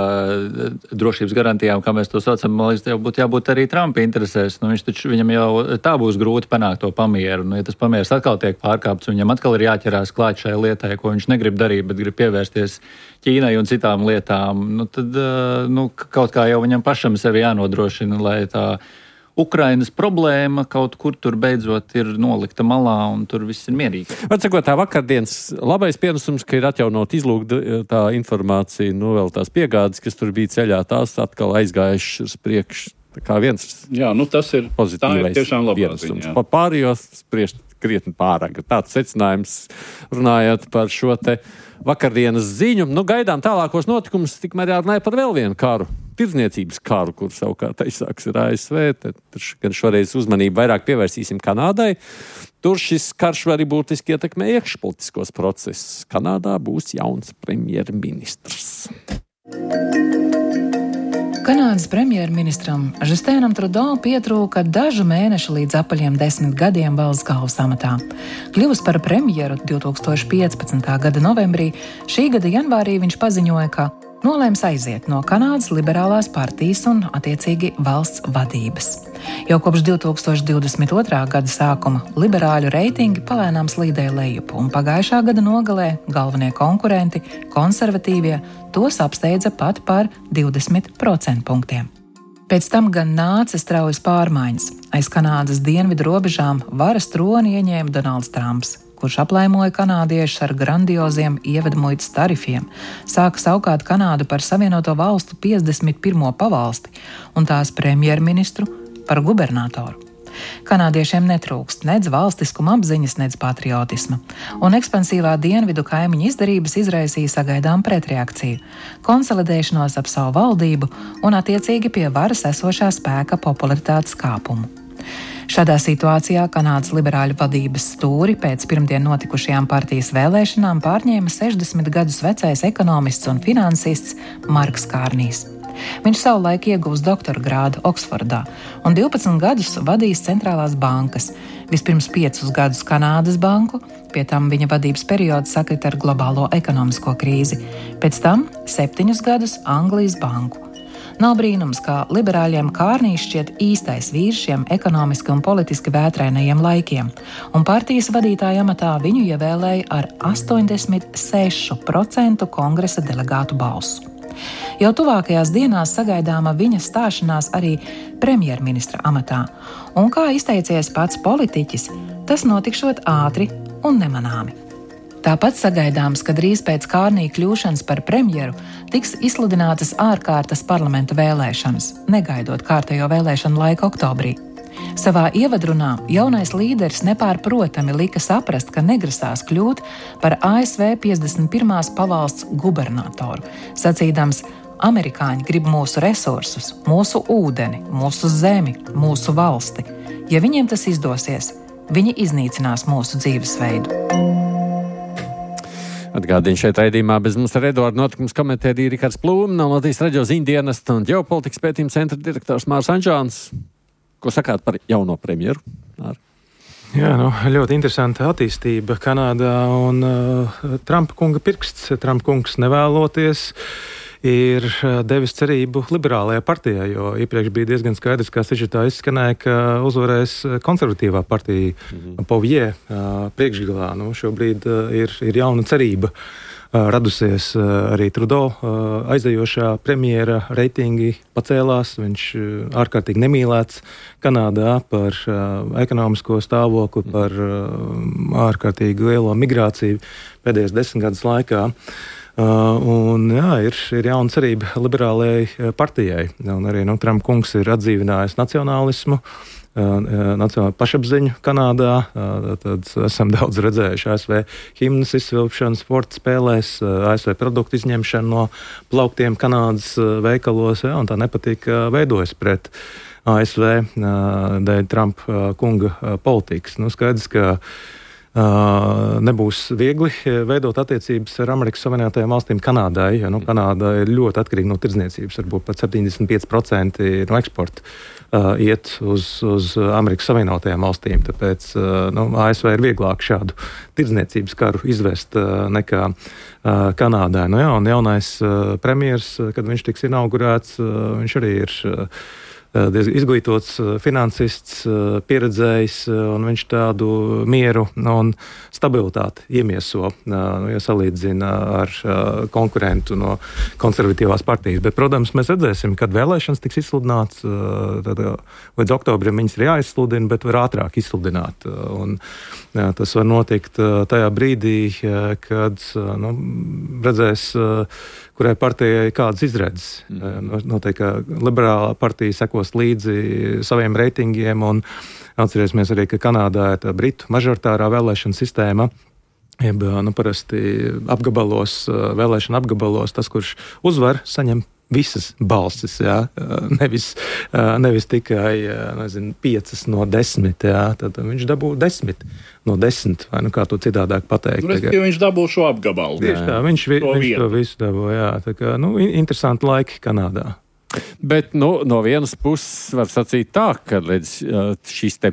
drošības garantijām, kā mēs to saucam, man liekas, jau būtu jābūt arī Trumpa interesēs. Nu, viņš taču, viņam jau tā būs grūti panākt to pamieru. Nu, ja tas pamieris atkal tiek pārkāpts, viņam atkal ir jāķerās klāt šai lietai, ko viņš negrib darīt, bet grib pievērsties Ķīnai un citām lietām, nu, tad uh, nu, kaut kā jau viņam pašam sevi jānodrošina, lai tā Ukrainas problēma kaut kur tur beidzot ir nolikta malā un tur viss ir mierīgi. Atsakot, tā vakardienas labais pienesums, ka ir atjaunot izlūgta tā informācija, nu vēl tās piegādes, kas tur bija ceļā, tās atkal aizgājušas uz priekšu. Tā kā viens jā, nu tas ir, pozitīvais tā ir tiešām labā pienesums. Pa pārējos spriest krietni pārāk. Tāds secinājums runājot par šo te vakardienas ziņu. Nu, gaidām tālākos notikumus, tikmēr jārunāja par vēl vienu karu. Tirdzniecības karu, kur savukārt aizsāks ir A S V. Tad gan šoreiz uzmanību vairāk pievērsīsim Kanādai. Tur šis karš arī būtiski ietekmē iekšpolitiskos procesus. Kanādā būs jauns premjerministrs. Kanādas premjerministram Justinam Trudeau pietrūka dažu mēnešu līdz apaļiem desmit gadiem valsts galvas amatā. Kļuvis par premjeru divtūkstoš piecpadsmitā gada novembrī, šī gada janvārī viņš paziņoja, ka nolēms aiziet no Kanādas liberālās partijas un, attiecīgi, valsts vadības. Jau kopš divtūkstoš divdesmit otrā gada sākuma liberāļu reitingi palēnām slīdēja lejup, un pagājušā gada nogalē galvenie konkurenti, konservatīvie, tos apsteidza pat par divdesmit procentpunktiem. Pēc tam gan nāca straujas pārmaiņas. Aiz Kanādas dienvidu robežām varas troni ieņēma Donalds Trumps, kurš aplaimoja kanādiešus ar grandioziem ievedmuitas tarifiem, sāka saukāt Kanādu par Savienoto Valstu piecdesmit pirmo pavalsti un tās premjerministru par gubernatoru. Kanādiešiem netrūkst nedz valstiskuma apziņas, nedz patriotisma, un ekspansīvā dienvidu kaimiņu izdarības izraisīja sagaidām pretreakciju, konsolidēšanos ap savu valdību un attiecīgi pie varas esošā spēka popularitātes kāpumu. Šādā situācijā Kanādas liberāļu vadības stūri pēc pirmdien notikušajām partijas vēlēšanām pārņēma sešdesmit gadus vecais ekonomists un finansists Marks Kārnijs. Viņš savulaik ieguvis doktora grādu Oksfordā un divpadsmit gadus vadījis centrālās bankas. Vispirms piecus gadus Kanādas banku, pie tam viņa vadības periods sakrita ar globālo ekonomisko krīzi, pēc tam septiņus gadus Anglijas banku. Nav brīnums, ka liberāļiem Kārnīs šķiet īstais vīrs šiem ekonomiski un politiski vētrainajiem laikiem, un partijas vadītāja amatā viņu ievēlēja ar astoņdesmit sešu procentu kongresa delegātu balsu. Jau tuvākajās dienās sagaidāma viņa stāšanās arī premjerministra amatā, un kā izteicies pats politiķis, tas notikšot ātri un nemanāmi. Tāpat sagaidāms, ka drīz pēc Kārnī kļūšanas par premjeru tiks izsludinātas ārkārtas parlamenta vēlēšanas, negaidot kārtējo vēlēšanu laiku oktobrī. Savā ievadrunā jaunais līderis nepārprotami lika saprast, ka negrasās kļūt par A S V piecdesmit pirmās pavalsts gubernatoru, sacīdams: amerikāņi grib mūsu resursus, mūsu ūdeni, mūsu zemi, mūsu valsti. Ja viņiem tas izdosies, viņi iznīcinās mūsu dzīvesveidu. Atgādīju šeit raidījumā bez mums ar Eduardu notikums komentēja Rikards Plūme, no Latvijas radio ziņdienesta un ģeopolitikas pētījuma centra direktors Mārs Anžāns. Ko sakāt par jauno premjeru? Ar? Jā, nu, ļoti interesanta attīstība Kanādā un uh, Trumpa kunga pirksts. Trumpa kungs nevēloties ir devis cerību liberālajā partijā, jo iepriekš bija diezgan skaidrs, kā sižetā izskanēja, ka uzvarēs konservatīvā partija mm-hmm. Povjē priekšgalā. Nu, šobrīd ir, ir jauna cerība radusies arī Trudeau aizejošā premjera reitingi pacēlās. Viņš ārkārtīgi nemīlēts Kanādā par ekonomisko stāvokli, par ārkārtīgi lielo migrāciju pēdējos desmit gadus laikā. Uh, un jā, ir, ir jauna cerība liberālajai partijai. Un arī nu, Trumpa kungs ir atdzīvinājis nacionālismu, uh, nacionālo pašapziņu Kanādā. Uh, tad esam daudz redzējuši A S V himnas izsvilpšanu sporta spēlēs, uh, A S V produktu izņemšanu no plauktiem Kanādas uh, veikalos, jā, un tā nepatika veidojas pret A S V uh, dēļ Trumpa uh, kunga uh, politikas. Nu, skaidrs, ka Uh, nebūs viegli veidot attiecības ar Amerikas Savienotajām valstīm Kanādai, jo nu, Kanāda ir ļoti atkarīga no tirdzniecības, varbūt pat septiņdesmit pieci procenti no eksporta uh, iet uz, uz Amerikas Savienotajām valstīm, tāpēc uh, nu, A S V ir vieglāk šādu tirdzniecības karu izvest uh, nekā uh, Kanādai. Nu, jā, un jaunais uh, premjers, kad viņš tiks inaugurēts, uh, viņš arī ir uh, izglītots finansists, pieredzējis, un viņš tādu mieru un stabilitāti iemieso, ja salīdzina ar konkurentu no konservatīvās partijas. Bet, protams, mēs redzēsim, kad vēlēšanas tiks izsludināts, tad līdz oktobrim viņas ir jāizsludina, bet var ātrāk izsludināt. Un, jā, tas var notikt tajā brīdī, kad nu, redzēs, kurai partijai kādas izredzes. Mm. Noteikti, ka liberālā partija sekos līdzi saviem reitingiem, un atcerēsimies arī, ka Kanādā ir tā britu mažoritārā vēlēšana sistēma. Jeb, nu, parasti apgabalos, vēlēšana apgabalos, tas, kurš uzvar, saņem visas balsis, jā, nevis, nevis tikai, nezinu, piecas no desmit, jā, tad viņš dabū desmit no desmit, vai nu kā to citādāk pateikt. Nu, respektīvi, viņš dabū šo apgabalu. Tieši tā, viņš, vi, viņš to visu dabū, jā, tā kā, nu, interesanti laiki Kanādā. Bet, nu, no vienas puses var sacīt tā, ka līdz šīs te,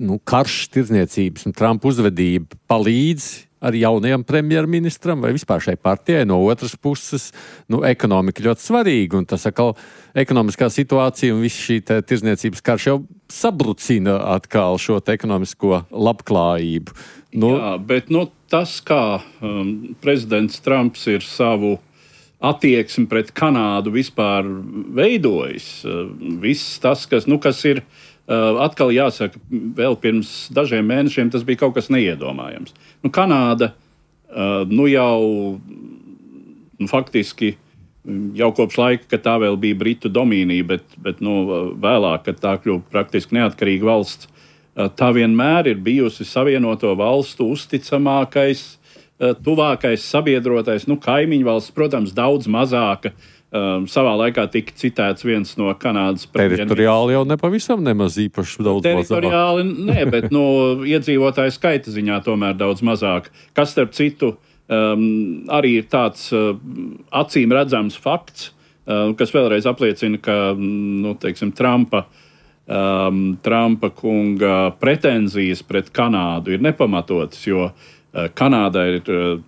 nu, karš, tirdzniecības un Trumpa uzvedība palīdz ar jaunajam premjerministram vai vispār šai partijai. No otras puses, nu, ekonomika ļoti svarīga, un tas atkal ekonomiskā situācija un viss šī tirdzniecības karš jau sabrucina atkal šo te ekonomisko labklājību. Nu, Jā, bet nu, tas, kā um, prezidents Trumps ir savu attieksmi pret Kanādu vispār veidojis, uh, viss tas, kas, nu, kas ir Uh, atkal jāsaka, vēl pirms dažiem mēnešiem tas bija kaut kas neiedomājams. Nu, Kanāda uh, nu jau nu, faktiski jau kopš laika, kad tā vēl bija Britu domīnija, bet, bet nu, vēlāk, kad tā kļuva praktiski neatkarīga valsts, uh, tā vienmēr ir bijusi Savienoto valstu uzticamākais, uh, tuvākais sabiedrotais, nu, kaimiņu valsts, protams, daudz mazāka. Um, savā laikā tika citēts viens no Kanādas premjerministriem. Teritoriāli jau nepavisam nemaz īpaši daudz mazāk. Teritoriāli nē, bet no iedzīvotāju skaita ziņā tomēr daudz mazāk. Kas, starp citu, um, arī ir tāds uh, acīm redzams fakts, uh, kas vēlreiz apliecina, ka nu, teiksim, Trumpa, um, Trumpa kunga pretenzijas pret Kanādu ir nepamatotas, jo uh, Kanāda ir, uh,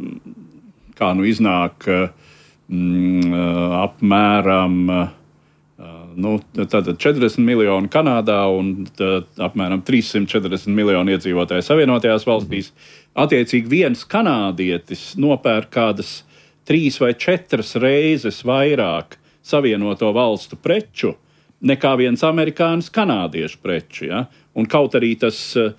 kā nu iznāk, uh, Mm, apmēram Nu, tātad četrdesmit miljoni Kanādā un tā, apmēram trīssimt četrdesmit miljoni iedzīvotāju Savienotajās valstīs. Attiecīgi viens kanādietis nopērk kādas trīs vai četras reizes vairāk Savienoto valstu preču nekā viens amerikānis kanādiešu preču. Ja? Un kaut arī tas uh,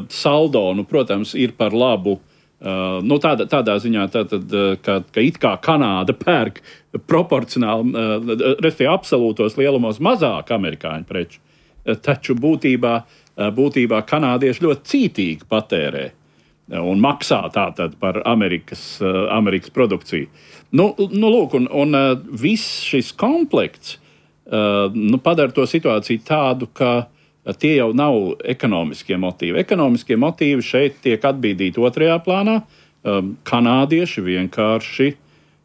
saldo, nu, protams, ir par labu. Uh, nu, tādā, tādā ziņā, tātad, uh, ka, ka it kā Kanāda pērk proporcionāli, uh, respektīvi absolūtos lielumos mazāk amerikāņu preču, uh, taču būtībā, uh, būtībā kanādieši ļoti cītīgi patērē uh, un maksā tātad par Amerikas, uh, Amerikas produkciju. Nu, nu, lūk, un, un uh, viss šis komplekts uh, nu, padara to situāciju tādu, ka tie jau nav ekonomiskie motīvi. Ekonomiskie motīvi šeit tiek atbīdīti otrajā plānā. Um, kanādieši vienkārši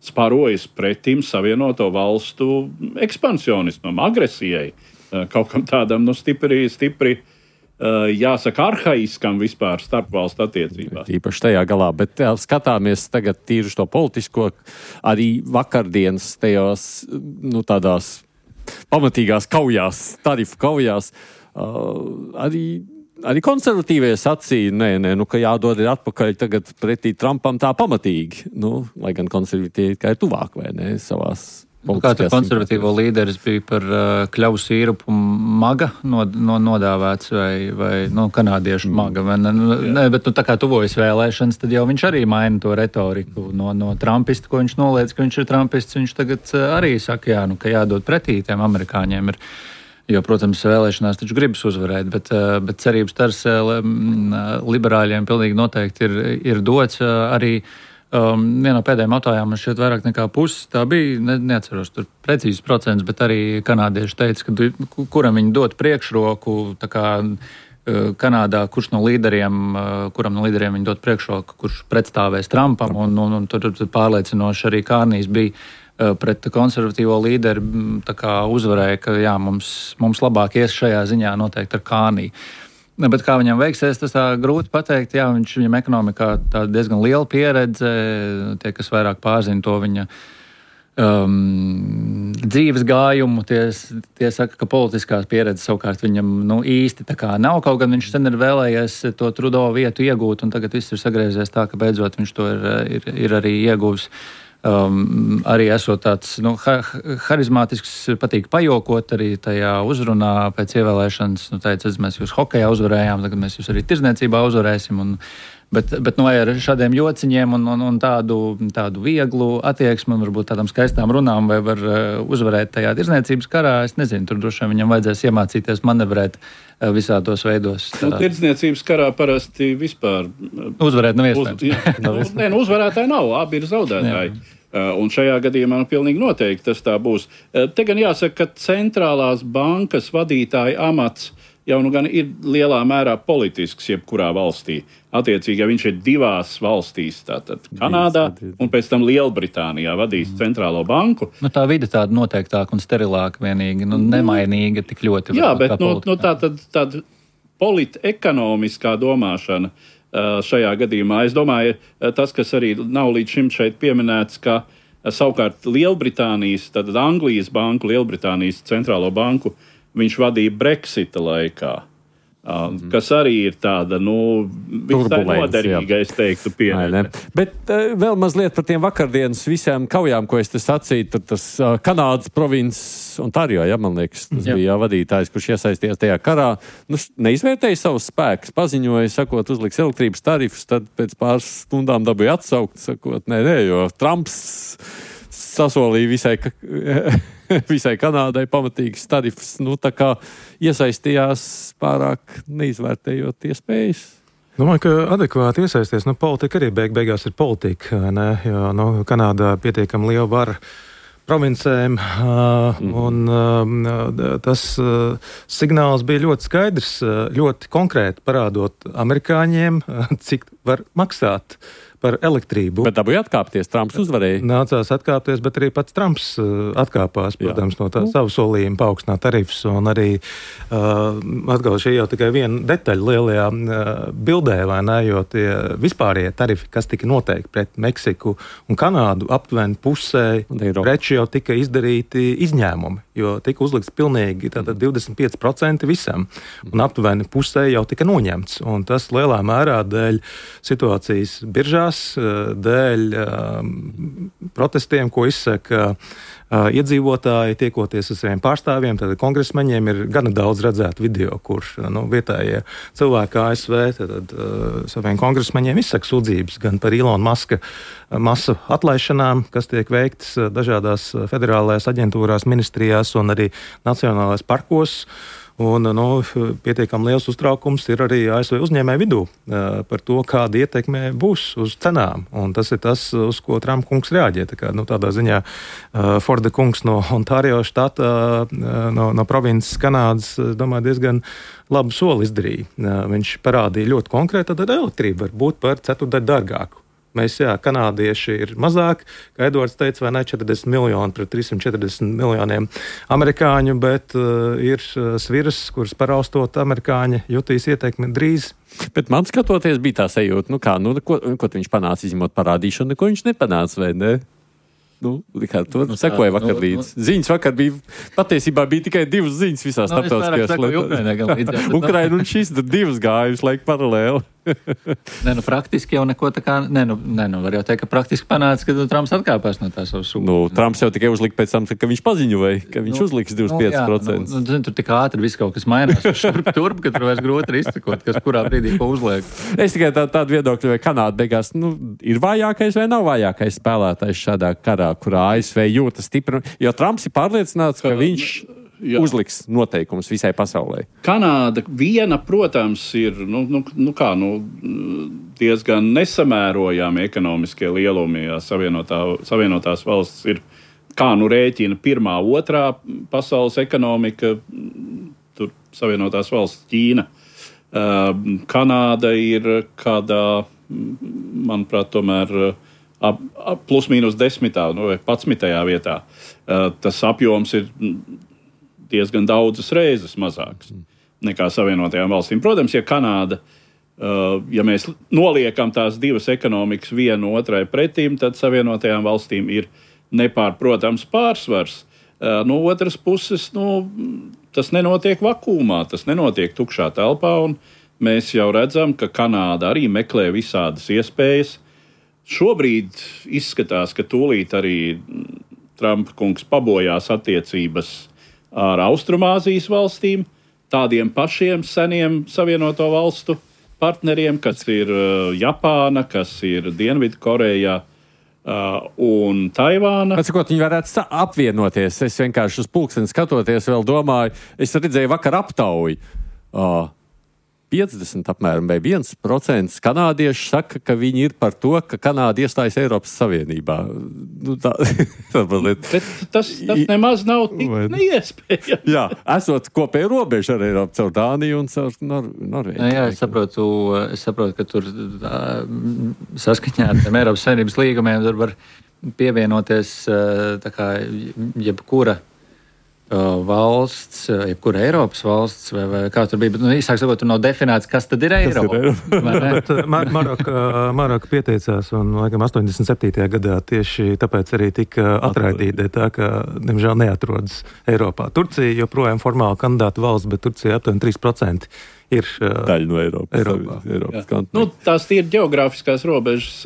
sparojas pretim Savienoto valstu ekspansionismam, agresijai. Uh, kaut kam tādam nu, stipri, stipri uh, jāsaka, arhaiskam vispār starpvalstu attiecībās. Īpaši tajā galā, bet jā, skatāmies tagad tīri uz to politisko, arī vakardienas tajās, nu, tādās pamatīgās kaujās, tarifu kaujās. Uh, arī, arī konservatīvie sacīja, nē, nē, nu, ka jādod ir atpakaļ tagad pretī Trumpam tā pamatīgi. Nu, lai gan konservatīvi kā ir tuvāk, vai ne, savās nu, kā tur konservatīvo līderis bija par uh, kļavu sīrupu maga nod, no, nodāvēts vai, vai nu, kanādiešu mm. maga. Vai, ne, ne, bet nu, tā kā tuvojas vēlēšanas, tad jau viņš arī maina to retoriku no, no trumpista, ko viņš noliedz, ka viņš ir trumpists. Viņš tagad uh, arī saka, jā, nu, ka jādod pretī tiem amerikāņiem ir. Jo, protams, vēlēšanās taču gribas uzvarēt, bet, bet cerības stars liberāļiem pilnīgi noteikti ir, ir dots. Arī um, vienā no pēdējām autājām man šķiet vairāk nekā puses. Tā bija, ne, neatceros tur precīzes procents, bet arī kanādieši teica, ka kuram viņi dot priekšroku, tā kā Kanādā, kurš no līderiem, kuram no līderiem viņi dot priekšroku, kurš pretstāvēs Trumpam, un, un, un tur, tur pārliecinoši arī Kārnijs bija pret konservatīvo līderi uzvarēja, ka jā, mums, mums labāk ies šajā ziņā noteikti ar Kārniju. Bet kā viņam veiksies, tas tā grūti pateikt. Jā, viņš, viņam ekonomikā tā diezgan liela pieredze, tie, kas vairāk pārzina to viņa um, dzīves gājumu, tie, tie saka, ka politiskās pieredzes savukārt viņam nu, īsti tā kā nav. Kaut gan viņš sen ir vēlējies to Trudeau vietu iegūt, un tagad viss ir sagriezies tā, ka beidzot viņš to ir, ir, ir arī ieguvis. Um, arī esot tāds nu, ha- harizmātisks, patīk pajokot arī tajā uzrunā pēc ievēlēšanas. Nu, teica, mēs jūs hokejā uzvarējām, tagad mēs jūs arī tirdzniecībā uzvarēsim. Un, bet, bet nu, ar šādiem jociņiem un, un, un tādu, tādu vieglu attieksmi un varbūt tādām skaistām runām vai var uzvarēt tajā tirdzniecības karā, es nezinu, tur droši vien viņam vajadzēs iemācīties manevrēt visādos veidos. Nu, tirdzniecības karā parasti vispār uzvarēt nav iespējams. Uz, jā, nu, nē, nu, uzvarētāji nav, abi ir zaudētāji. Jā. Un šajā gadījumā nu, pilnīgi noteikti tas tā būs. Te gan jāsaka, ka centrālās bankas vadītāja amats jau nu gan ir lielā mērā politisks jebkurā valstī. Attiecīgi, ja viņš ir divās valstīs, tātad Kanādā un pēc tam Lielbritānijā vadīs mm. centrālo banku. Nu, tā vide tāda noteiktāka un sterilāka vienīgi, nu, nemainīga tik ļoti. Jā, bet nu, nu, tā tad tāda politekonomiskā domāšana šajā gadījumā. Es domāju, tas, kas arī nav līdz šim šeit pieminēts, ka savukārt Lielbritānijas, tad Anglijas banku, Lielbritānijas centrālo banku, viņš vadīja Brexita laikā, mm-hmm. kas arī ir tāda, nu, visai noderīga, es teiktu, pieredze. Bet uh, vēl mazliet par tiem vakardienas visām kaujām, ko es te sacīju, tad tas uh, Kanādas provinces Ontario, ja, man liekas, tas jā. bija vadītājs, kurš iesaistījās tajā karā, nu, neizvērtēja savus spēkus, paziņoja, sakot, uzliks elektrības tarifus, tad pēc pāris stundām dabūja atsaukt, sakot, nē, nē, jo Trumps sasolīja visai, visai Kanādai pamatīgas tarifus, nu, tā kā iesaistījās pārāk neizvērtējot iespējas. Domāju, ka adekvāti iesaisties, nu, politika arī beig beigās ir politika, ne, jo, nu, Kanādā pietiekami liela vara provincēm, uh, mm. un uh, tas uh, signāls bija ļoti skaidrs, uh, ļoti konkrēti parādot amerikāņiem, uh, cik var maksāt par elektrību. Bet dabūja atkāpties, Trumps uzvarēja. Nācās atkāpties, bet arī pats Trumps uh, atkāpās, protams, Jā. no tā savu solījumu paaugstināt tarifus, un arī uh, atkal šī jau tikai viena detaļa lielajā uh, bildē, vai ne, jo tie vispārējie tarifi, kas tika noteikti pret Meksiku un Kanādu, aptuveni pusē preču jau tika izdarīti izņēmumi, jo tika uzlikts pilnīgi tātad divdesmit pieci procenti visam, un aptuveni pusē jau tika noņemts. Un tas lielā mērā dēļ situācijas biržās, dēļ um, protestiem, ko izsaka uh, iedzīvotāji, tiekoties ar saviem pārstāvjiem, tad kongresmeņiem ir gana daudz redzētu video, kur nu, vietējie cilvēki A S V tad, uh, saviem kongresmeņiem izsaka sūdzības gan par Ilona Maska masu atlaišanām, kas tiek veiktas dažādās federālajās aģentūrās, ministrijās un arī nacionālais parkos. Un, nu, pietiekami liels uztraukums ir arī A S V uzņēmēju vidū uh, par to, kāda ietekme būs uz cenām. Un tas ir tas, uz ko Trumpa kungs reaģē. Tā kā, nu, tādā ziņā uh, Forda kungs no Ontārio štata, uh, no, no provinces Kanādas, es domāju, diezgan labu soli izdarīja. Uh, viņš parādīja ļoti konkrēti, tad elektrība var būt par ceturdaļu dārgāku. Mēs, jā, kanādieši ir mazāk, kā Edvards teica, vai ne, četrdesmit miljoni pret trīsimt četrdesmit miljoniem amerikāņu, bet uh, ir uh, sviras, kuras paraustot amerikāņi jutīs ieteikmi drīz. Bet man skatoties bija tā sajūta, nu kā, nu, ko, ko viņš panāca izņemot parādīšanu, neko viņš nepanāca, vai ne? Nu, kā to nu, sekoja vakar nu, līdz. Nu, ziņas vakar bija, patiesībā bija tikai divas ziņas visās nu, starptautiskajās lietās. Ukraina un šis divas gājušas laik paralēli. Nē, nu, praktiski jau neko tā kā, nē, nu, nē, nu, var jau teikt, ka praktiski panāca, ka Trumps atkāpās no tā savu sūdu. Nu, Trumps jau tikai uzlika pēc tam, ka viņš paziņoja, ka viņš nu, uzliks divdesmit pieci procenti. Nu, nu, zin, tur tik ātri viss kaut kas mainās, šurp turp, ka tur vairs grūti ir izcekot, kas kurā brīdī ko uzliek. Es tikai tā, tādu viedokļu, vai Kanāda beigās, nu, ir vājākais vai nav vājākais spēlētājs šādā karā, kurā A S V jūtas stipri, jo Trumps ir pārliecināts, ka viņš Jā. uzliks noteikumus visai pasaulē. Kanāda viena, protams, ir nu, nu, nu kā, nu, diezgan nesamērojami ekonomiskie lielumi. Jā, savienotā, savienotās valsts ir, kā nu rēķina, pirmā, otrā pasaules ekonomika, tur Savienotās valsts Ķīna. Uh, Kanāda ir kādā, manuprāt, tomēr ap, ap plus mīnus desmitā, nu, vai padsmitajā vietā. Uh, tas apjoms ir diezgan daudzas reizes mazāks nekā Savienotajām valstīm. Protams, ja Kanāda, uh, ja mēs noliekam tās divas ekonomikas vienu otrai pretīm, tad Savienotajām valstīm ir nepārprotams pārsvars. Uh, no otras puses, nu, tas nenotiek vakuumā, tas nenotiek tukšā telpā, un mēs jau redzam, ka Kanāda arī meklē visādas iespējas. Šobrīd izskatās, ka tūlīt arī Trumpa kungs pabojās attiecības ar Austrumāzijas valstīm, tādiem pašiem seniem Savienoto valstu partneriem, kas ir uh, Japāna, kas ir Dienvidkoreja uh, un Taivāna. Atsakot, viņi varētu apvienoties. Es vienkārši uz pulksteni skatoties vēl domāju, es redzēju vakar aptauju. Uh, piecdesmit apmēram vai viens procents kanādieši saka, ka viņi ir par to, ka Kanāda iestājas Eiropas Savienībā. Nu, tā, Bet tas, tas nemaz nav tik neiespējami. Jā, esot kopēju robežu ar Eiropu caur Dāniju un caur Nor Norvēģiju. Jā, es saprotu, es saprotu, ka tur saskaņā ar tiem Eiropas Savienības līgumiem tur var pievienoties tā kā jebkura valsts, jebkura Eiropas valsts, vai, vai kā tur bija, bet, nu, īsāk sakot, tur nav definēts, kas tad ir Eiropa. Bet Mar Maroka, Maroka pieteicās, un, laikam, astoņdesmit septītajā gadā tieši tāpēc arī tika atraidīta, tā ka, diemžēl, neatrodas Eiropā. Turcija joprojām formāli kandidāta valsts, bet Turcija aptuveni trīs procenti ir daļa no Eiropas. Eiropā. Eiropas nu, tās ir geogrāfiskās robežas,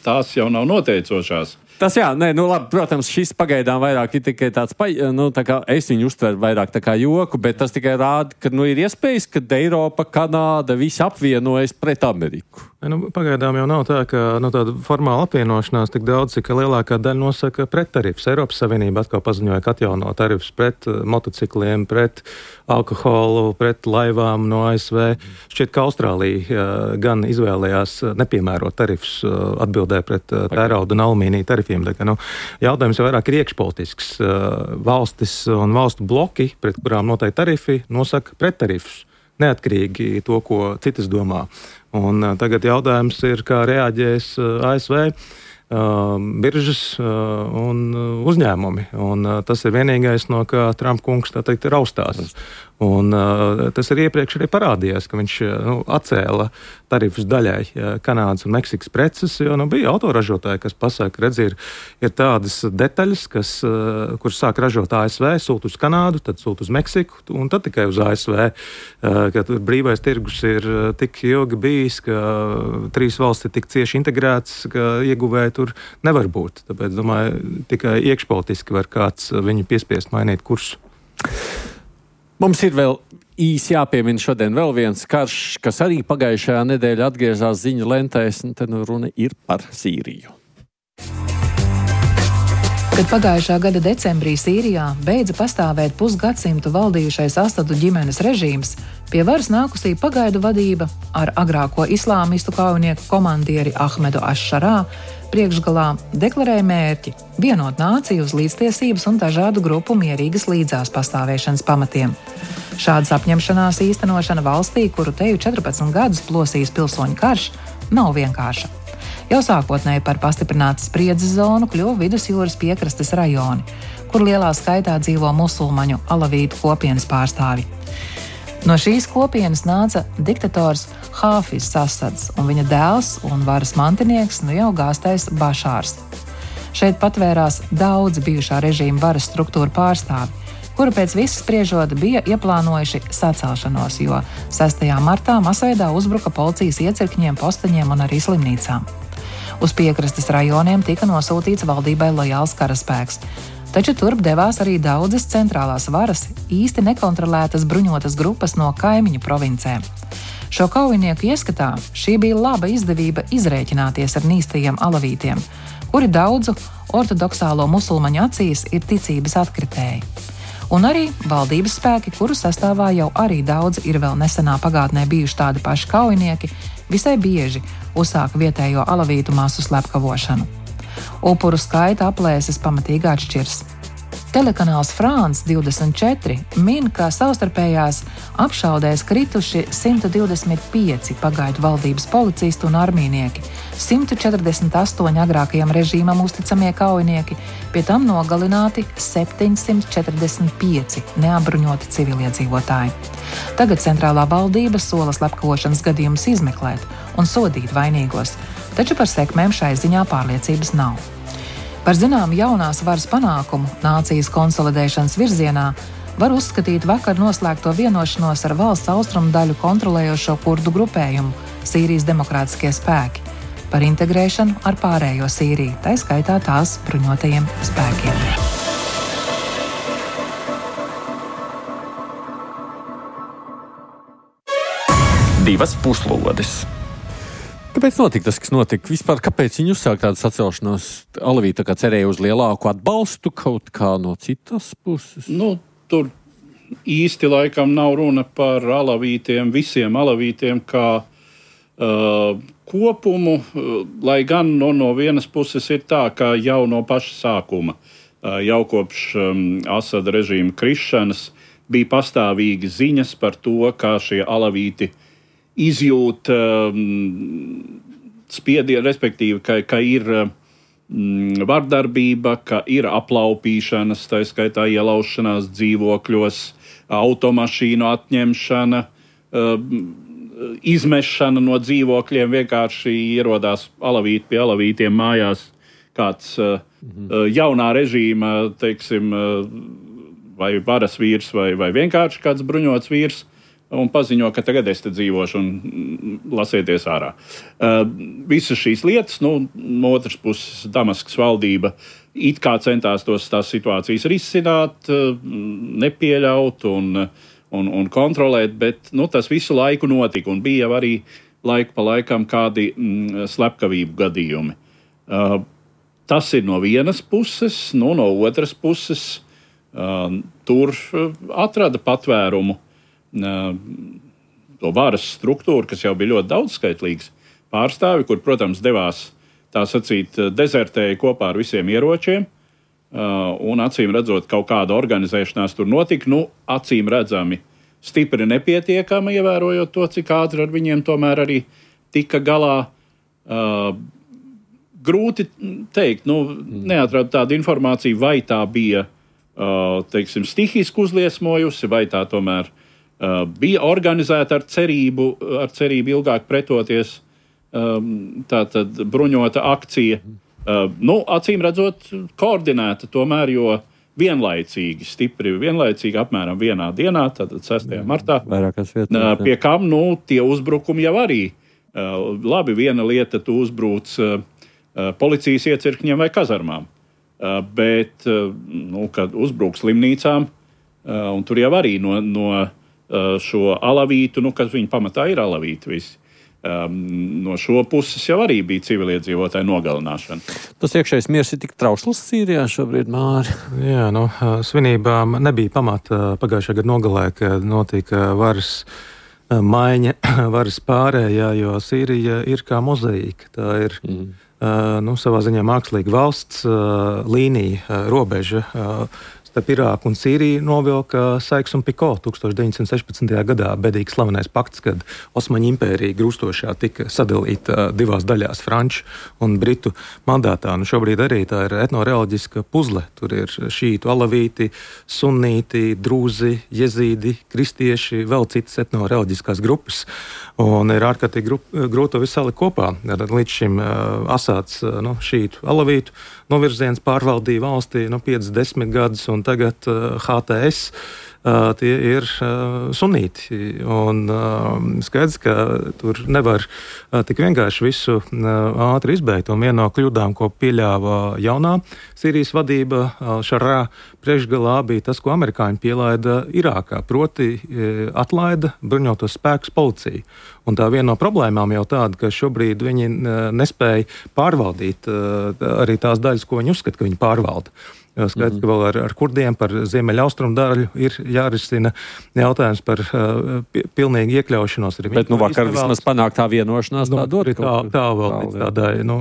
tās jau nav noteicošās. Tas jā, nē, nu labi, protams, šis pagaidām vairāk ir tikai tāds, nu, tā kā es viņu uztveru vairāk tā kā joku, bet tas tikai rāda, ka, nu, ir iespējas, ka Eiropa, Kanāda, visi apvienojas pret Ameriku. Nu, pagaidām jau nav tā, ka nu, tāda formāla apvienošanās tik daudz, cik lielākā daļa nosaka prettarifs. Eiropas Savienība atkal paziņoja, ka atjauno tarifs pret motocikliem, pret alkoholu, pret laivām no A S V. Šķiet, ka Austrālija gan izvēlējās nepiemērot tarifs atbildē pret tērauda un alumīnija tarifiem. Tā, ka, nu, jautājums jau vairāk ir iekšpolitisks. Valstis un valstu bloki, pret kurām noteikti tarifi, nosaka prettarifus. Neatkarīgi to, ko citas domā. Un tagad jautājums ir, kā reaģēs A S V. biržas un uzņēmumi. Un tas ir vienīgais, no kā Trumpa kungs, tā teikt, raustās. Un uh, tas arī iepriekš arī parādījās, ka viņš nu, atcēla tarifus daļai Kanādas un Meksikas preces, jo nu, bija autoražotāji, kas pasaka, redz, ir, ir tādas detaļas, kas, uh, kuras sāk ražot A S V, sūt uz Kanādu, tad sūt uz Meksiku un tad tikai uz A S V, uh, ka tur brīvais tirgus ir tik ilgi bijis, ka trīs valsts ir tik cieši integrētas, ka ieguvēji tur nevar būt. Tāpēc, domāju, tikai iekšpolitiski var kāds viņu piespiest mainīt kursu. Mums ir vēl īsi jāpiemina šodien vēl viens karš, kas arī pagājušajā nedēļā atgriezās ziņu lentēs, un te nu runa ir par Sīriju. Kad pagājušā gada decembrī Sīrijā beidza pastāvēt pusgadsimtu valdījušais Asadu ģimenes režīms, pie varas nākusī pagaidu vadība ar agrāko islāmistu kaujinieku komandieri Ahmedu Aššarā priekšgalā deklarēja mērķi vienot nāciju uz līdztiesības un dažādu grupu mierīgas līdzās pastāvēšanas pamatiem. Šādas apņemšanās īstenošana valstī, kuru teju četrpadsmit gadus plosījis pilsoņu karš, nav vienkārša. Jau sākotnēji par pastiprinātas spriedzes zonu kļuva vidusjūras piekrastes rajoni, kur lielā skaitā dzīvo musulmaņu alavītu kopienas pārstāvi. No šīs kopienas nāca diktators Hāfizs Asads un viņa dēls un varas mantinieks nu jau gāstais Bašārs. Šeit patvērās daudzi bijušā režīma varas struktūra pārstāvi, kuri pēc visas spriežot bija ieplānojuši sacelšanos, jo sestajā martā masveidā uzbruka policijas iecirkņiem, posteņiem un arī slimnīcām. Uz piekrastes rajoniem tika nosūtīts valdībai lojāls karaspēks, taču turp devās arī daudzas centrālās varas, īsti nekontrolētas bruņotas grupas no kaimiņu provincēm. Šo kaujinieku ieskatā šī bija laba izdevība izrēķināties ar nīstajiem alavītiem, kuri daudzu ortodoksālo musulmaņu acīs ir ticības atkritēji. Un arī valdības spēki, kuru sastāvā jau arī daudz ir vēl nesenā pagātnē bijuši tādi paši kaujinieki, visai bieži uzsāka vietējo alavītu masu slepkavošanu. Upuru skaita aplēses pamatīgi atšķirs. Telekanāls France divdesmit četri min, ka savstarpējās apšaudēs krituši simt divdesmit pieci pagaidu valdības policisti un armijnieki, simt četrdesmit astoņi agrākajam režīmam uzticamie kaujinieki, pie tam nogalināti septiņsimt četrdesmit pieci neapbruņoti civiliedzīvotāji. Tagad centrālā valdība sola slepkavošanas gadījumus izmeklēt un sodīt vainīgos, taču par sekmēm šai ziņā pārliecības nav. Par zināmu jaunās varas panākumu nācijas konsolidēšanas virzienā var uzskatīt vakar noslēgto vienošanos ar valsts austrumu daļu kontrolējošo kurdu grupējumu Sīrijas demokrātiskie spēki par integrēšanu ar pārējo Sīriju, tai skaitā tās bruņotajiem spēkiem. Divas puslodes. Kāpēc notika tas, kas notika? Vispār, kāpēc viņi uzsāk tādu sacelšanos? Alavīti tā kā cerēja uz lielāku atbalstu kaut kā no citas puses? Nu, tur īsti laikam nav runa par alavītiem, visiem alavītiem kā uh, kopumu, uh, lai gan no, no vienas puses ir tā, ka jau no paša sākuma, uh, jau kopš um, Asada režīma krišanas, bija pastāvīgi ziņas par to, kā šie alavīti izjūt um, spiedienu, respektīvi, ka, ka ir um, vardarbība, ka ir aplaupīšanas, tā skaitā ielaušanās dzīvokļos, automašīnu atņemšana, um, izmešana no dzīvokļiem, vienkārši ierodās alavīti pie alavītiem mājās kāds uh, mhm. jaunā režīma, teiksim, uh, vai varas vīrs, vai, vai vienkārši kāds bruņots vīrs, un paziņo, ka tagad es te dzīvošu un lasieties ārā. Uh, visas šīs lietas, nu, no otras puses, Damaskas valdība it kā centās tos, tās situācijas risināt, uh, nepieļaut un, un, un kontrolēt, bet nu, tas visu laiku notika un bija jau arī laiku pa laikam kādi mm, slepkavību gadījumi. Uh, tas ir no vienas puses, nu, no otras puses uh, tur atrada patvērumu to varas struktūru, kas jau bija ļoti daudzskaitlīgs pārstāvi, kur, protams, devās tā sacīt dezertēja kopā ar visiem ieročiem, un acīm redzot kaut kāda organizēšanās tur notika, nu, acīm redzami stipri nepietiekama, ievērojot to, cik ātri ar viņiem tomēr arī tika galā. grūti teikt, nu, neatradu tādu informāciju, vai tā bija, teiksim, stihiski uzliesmojusi, vai tā tomēr bija organizēta ar cerību, ar cerību ilgāk pretoties, tātad bruņota akcija. Nu, acīm redzot, koordinēta tomēr, jo vienlaicīgi, stipri vienlaicīgi, apmēram vienā dienā, tātad sestajā martā, pie kam, nu, tie uzbrukumi jau arī. Labi, viena lieta, tu uzbrūc policijas iecirkņiem vai kazarmām, bet, nu, kad uzbrūk slimnīcām, un tur jau arī no, no šo alavītu, nu, kas viņi pamatā ir alavīti visi, no šo puses jau arī bija civiliedzīvotāju nogalināšana. Tas iekšējais miers ir tik trausls Sīrijā šobrīd, Māri? Jā, nu, svinībām nebija pamata pagājušā gada nogalē, kad notika varas maiņa, varas pārējā, jo Sīrija ir kā mozaīka. Tā ir mm. uh, nu, savā ziņā mākslīga valsts uh, līnija, uh, robeža. Uh, Starp Irāku un Sīriju novilka Sykes-Picot tūkstoš deviņsimt sešpadsmitajā gadā bedīgi slavenais pakts, kad Osmaņu impērija grūstošā tika sadalīta divās daļās, franču un britu mandātā. Nu, šobrīd arī tā ir etnoreliģiska puzle. Tur ir šītu, alavīti, sunnīti, drūzi, jezīdi, kristieši, vēl citas etnoreliģiskās grupas. Un ir ārkārtīgi grūti to visu salikt kopā. Līdz šim uh, Asāds uh, nu, šītu, alavītu novirziens pārvaldīja valstī nu, piecdesmit desmit gadus, un tagad uh, H T S uh, tie ir uh, sunīti. Un uh, skaidrs, ka tur nevar uh, tik vienkārši visu uh, ātri izbeigt. Un viena no kļūdām, ko pieļāva jaunā Sīrijas vadība, uh, Šarā priekšgalā, bija tas, ko amerikāņi pielaida Irākā, proti uh, atlaida bruņotos spēkus policiju. Un tā viena no problēmām jau tāda, ka šobrīd viņi nespēja pārvaldīt arī tās daļas, ko viņi uzskata, ka viņi pārvalda. Skaidrs, ka vēl ar, ar kurdiem par ziemeļaustrumu daļu ir jārisina jautājums par uh, pilnīgu iekļaušanos. Bet nu vakar vismaz panāk tā vienošanās, nu, tā dod tā, kaut tā vēl līdz tādai nu,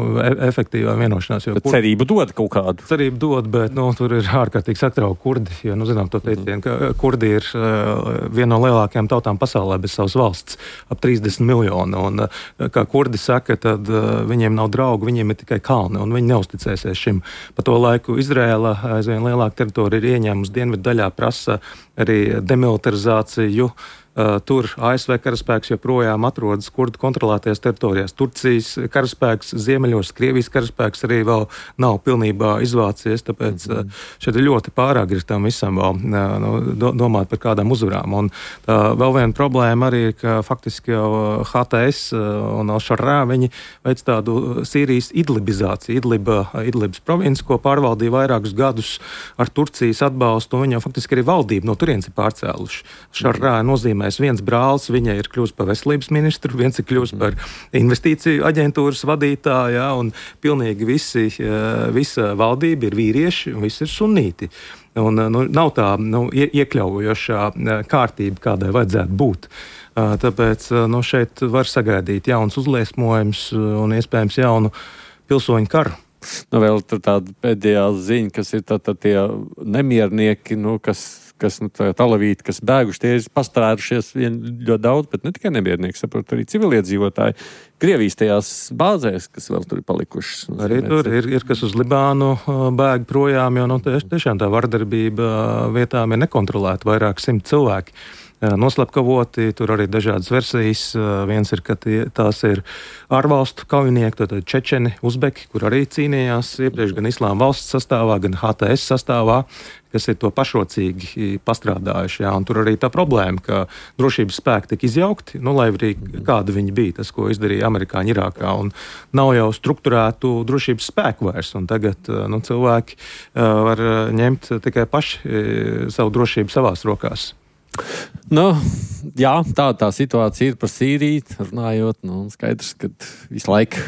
efektīvā vienošanās. Bet kur... cerību dod kaut kādu? Cerību dod, bet nu, tur ir ārkārtīgi satrauki kurdi, jo, nu, zinām, to teicienu, ka kurdi ir uh, viena no lielākajām tautām pasaulē bez savas valsts, ap trīsdesmit miljonu. Un, uh, kā kurdi saka, tad uh, viņiem nav draugu, viņiem ir tikai kalni, un viņi neusticēsies šim. Pa to laiku Izrēla aizvien lielāka teritorija ir ieņēmusi dienvidu daļā, prasa arī demilitarizāciju. Uh, tur A S V karaspēks joprojām atrodas kurdu kontrolētajās teritorijās. Turcijas karaspēks ziemeļos, Krievijas karaspēks arī vēl nav pilnībā izvācies, tāpēc uh, šeit ir ļoti pāragri tam visam vēl uh, nu, do, domāt par kādām uzvarām. Un tā vēl viena problēma arī ir, ka faktiski jau H T S un Al-Šarā viņi veic tādu Sīrijas idlibizāciju. Idliba, Idlibas provinci, ko pārvaldīja vairākus gadus ar Turcijas atbalstu, un viņi jau faktiski arī valdību no turienes ir pārcēluši. Šarā nozīmē viens brālis, viņa ir kļūst par veselības ministru, viens ir kļūst par investīciju aģentūras vadītāju, ja, un pilnīgi visi, visa valdība ir vīrieši un visi ir sunīti. Un, nu, nav tā nu, iekļaujošā kārtība, kādai vajadzētu būt. Tāpēc nu, šeit var sagaidīt jauns uzliesmojums un iespējams jaunu pilsoņu karu. Nu, vēl tur tāda pēdējā ziņa, kas ir tā, tā tie nemiernieki, nu, kas kas, nu, tā talavīti, kas bēguši, tie ir pastērušies vien ļoti daudz, bet ne tikai nemiernieki, saprot, arī civiliedzīvotāji Krievijas tajās bāzēs, kas vēl tur ir palikušas. Arī tur ir, ir kas uz Libānu bēg projām, jo, nu, tiešām tā vardarbība vietām ir nekontrolēta, vairāk simt cilvēki noslapkavoti, tur arī dažādas versijas. Viens ir, ka tie, tās ir ārvalstu kaujinieki, tātad čečeni, uzbeki, kur arī cīnījās iepriekš gan Islāma valsts sastāvā, gan H T S sastāvā, kas ir to pašrocīgi pastrādājuši. Jā. Un tur arī tā problēma, ka drošības spēki tika izjaukti, nu, lai arī kāda viņi bija, tas, ko izdarīja amerikāņi Irākā. Un nav jau strukturētu drošības spēku vairs, un tagad nu, cilvēki uh, var ņemt tikai paši uh, savu drošību savās rokās. Nu, jā, tā tā situācija ir par Sīriju, runājot, nu, skaidrs, ka visu laiku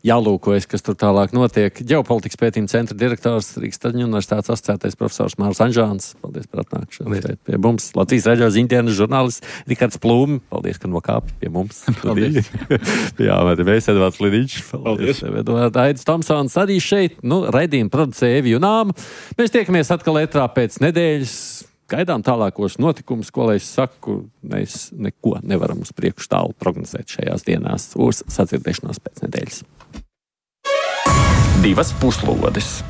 jālūkojas, kas tur tālāk notiek. Ģeopolitikas pētījuma centra direktors Rīgas Traģiņu universitātes asociētais profesors Mārs Anžāns. Paldies par atnākšanu pie mums. Latvijas raidījuma ziņdienas žurnālists Rikards Plūmi. Paldies, ka nokāpi pie mums. Paldies. Jā, vai te mēs Edvards Lidiņš. Paldies. Paldies. Aidis Tomsons arī šeit. Nu, raidījumu producēja Evi Junāma. Mēs tiekamies atkal ētrā pēc nedēļas. Gaidām tālākos notikumus, ko lai es saku, mēs neko nevaram uz priekšu tālu prognozēt šajās dienās. Uz sadzirdēšanos pēc nedēļas. divas puslodes.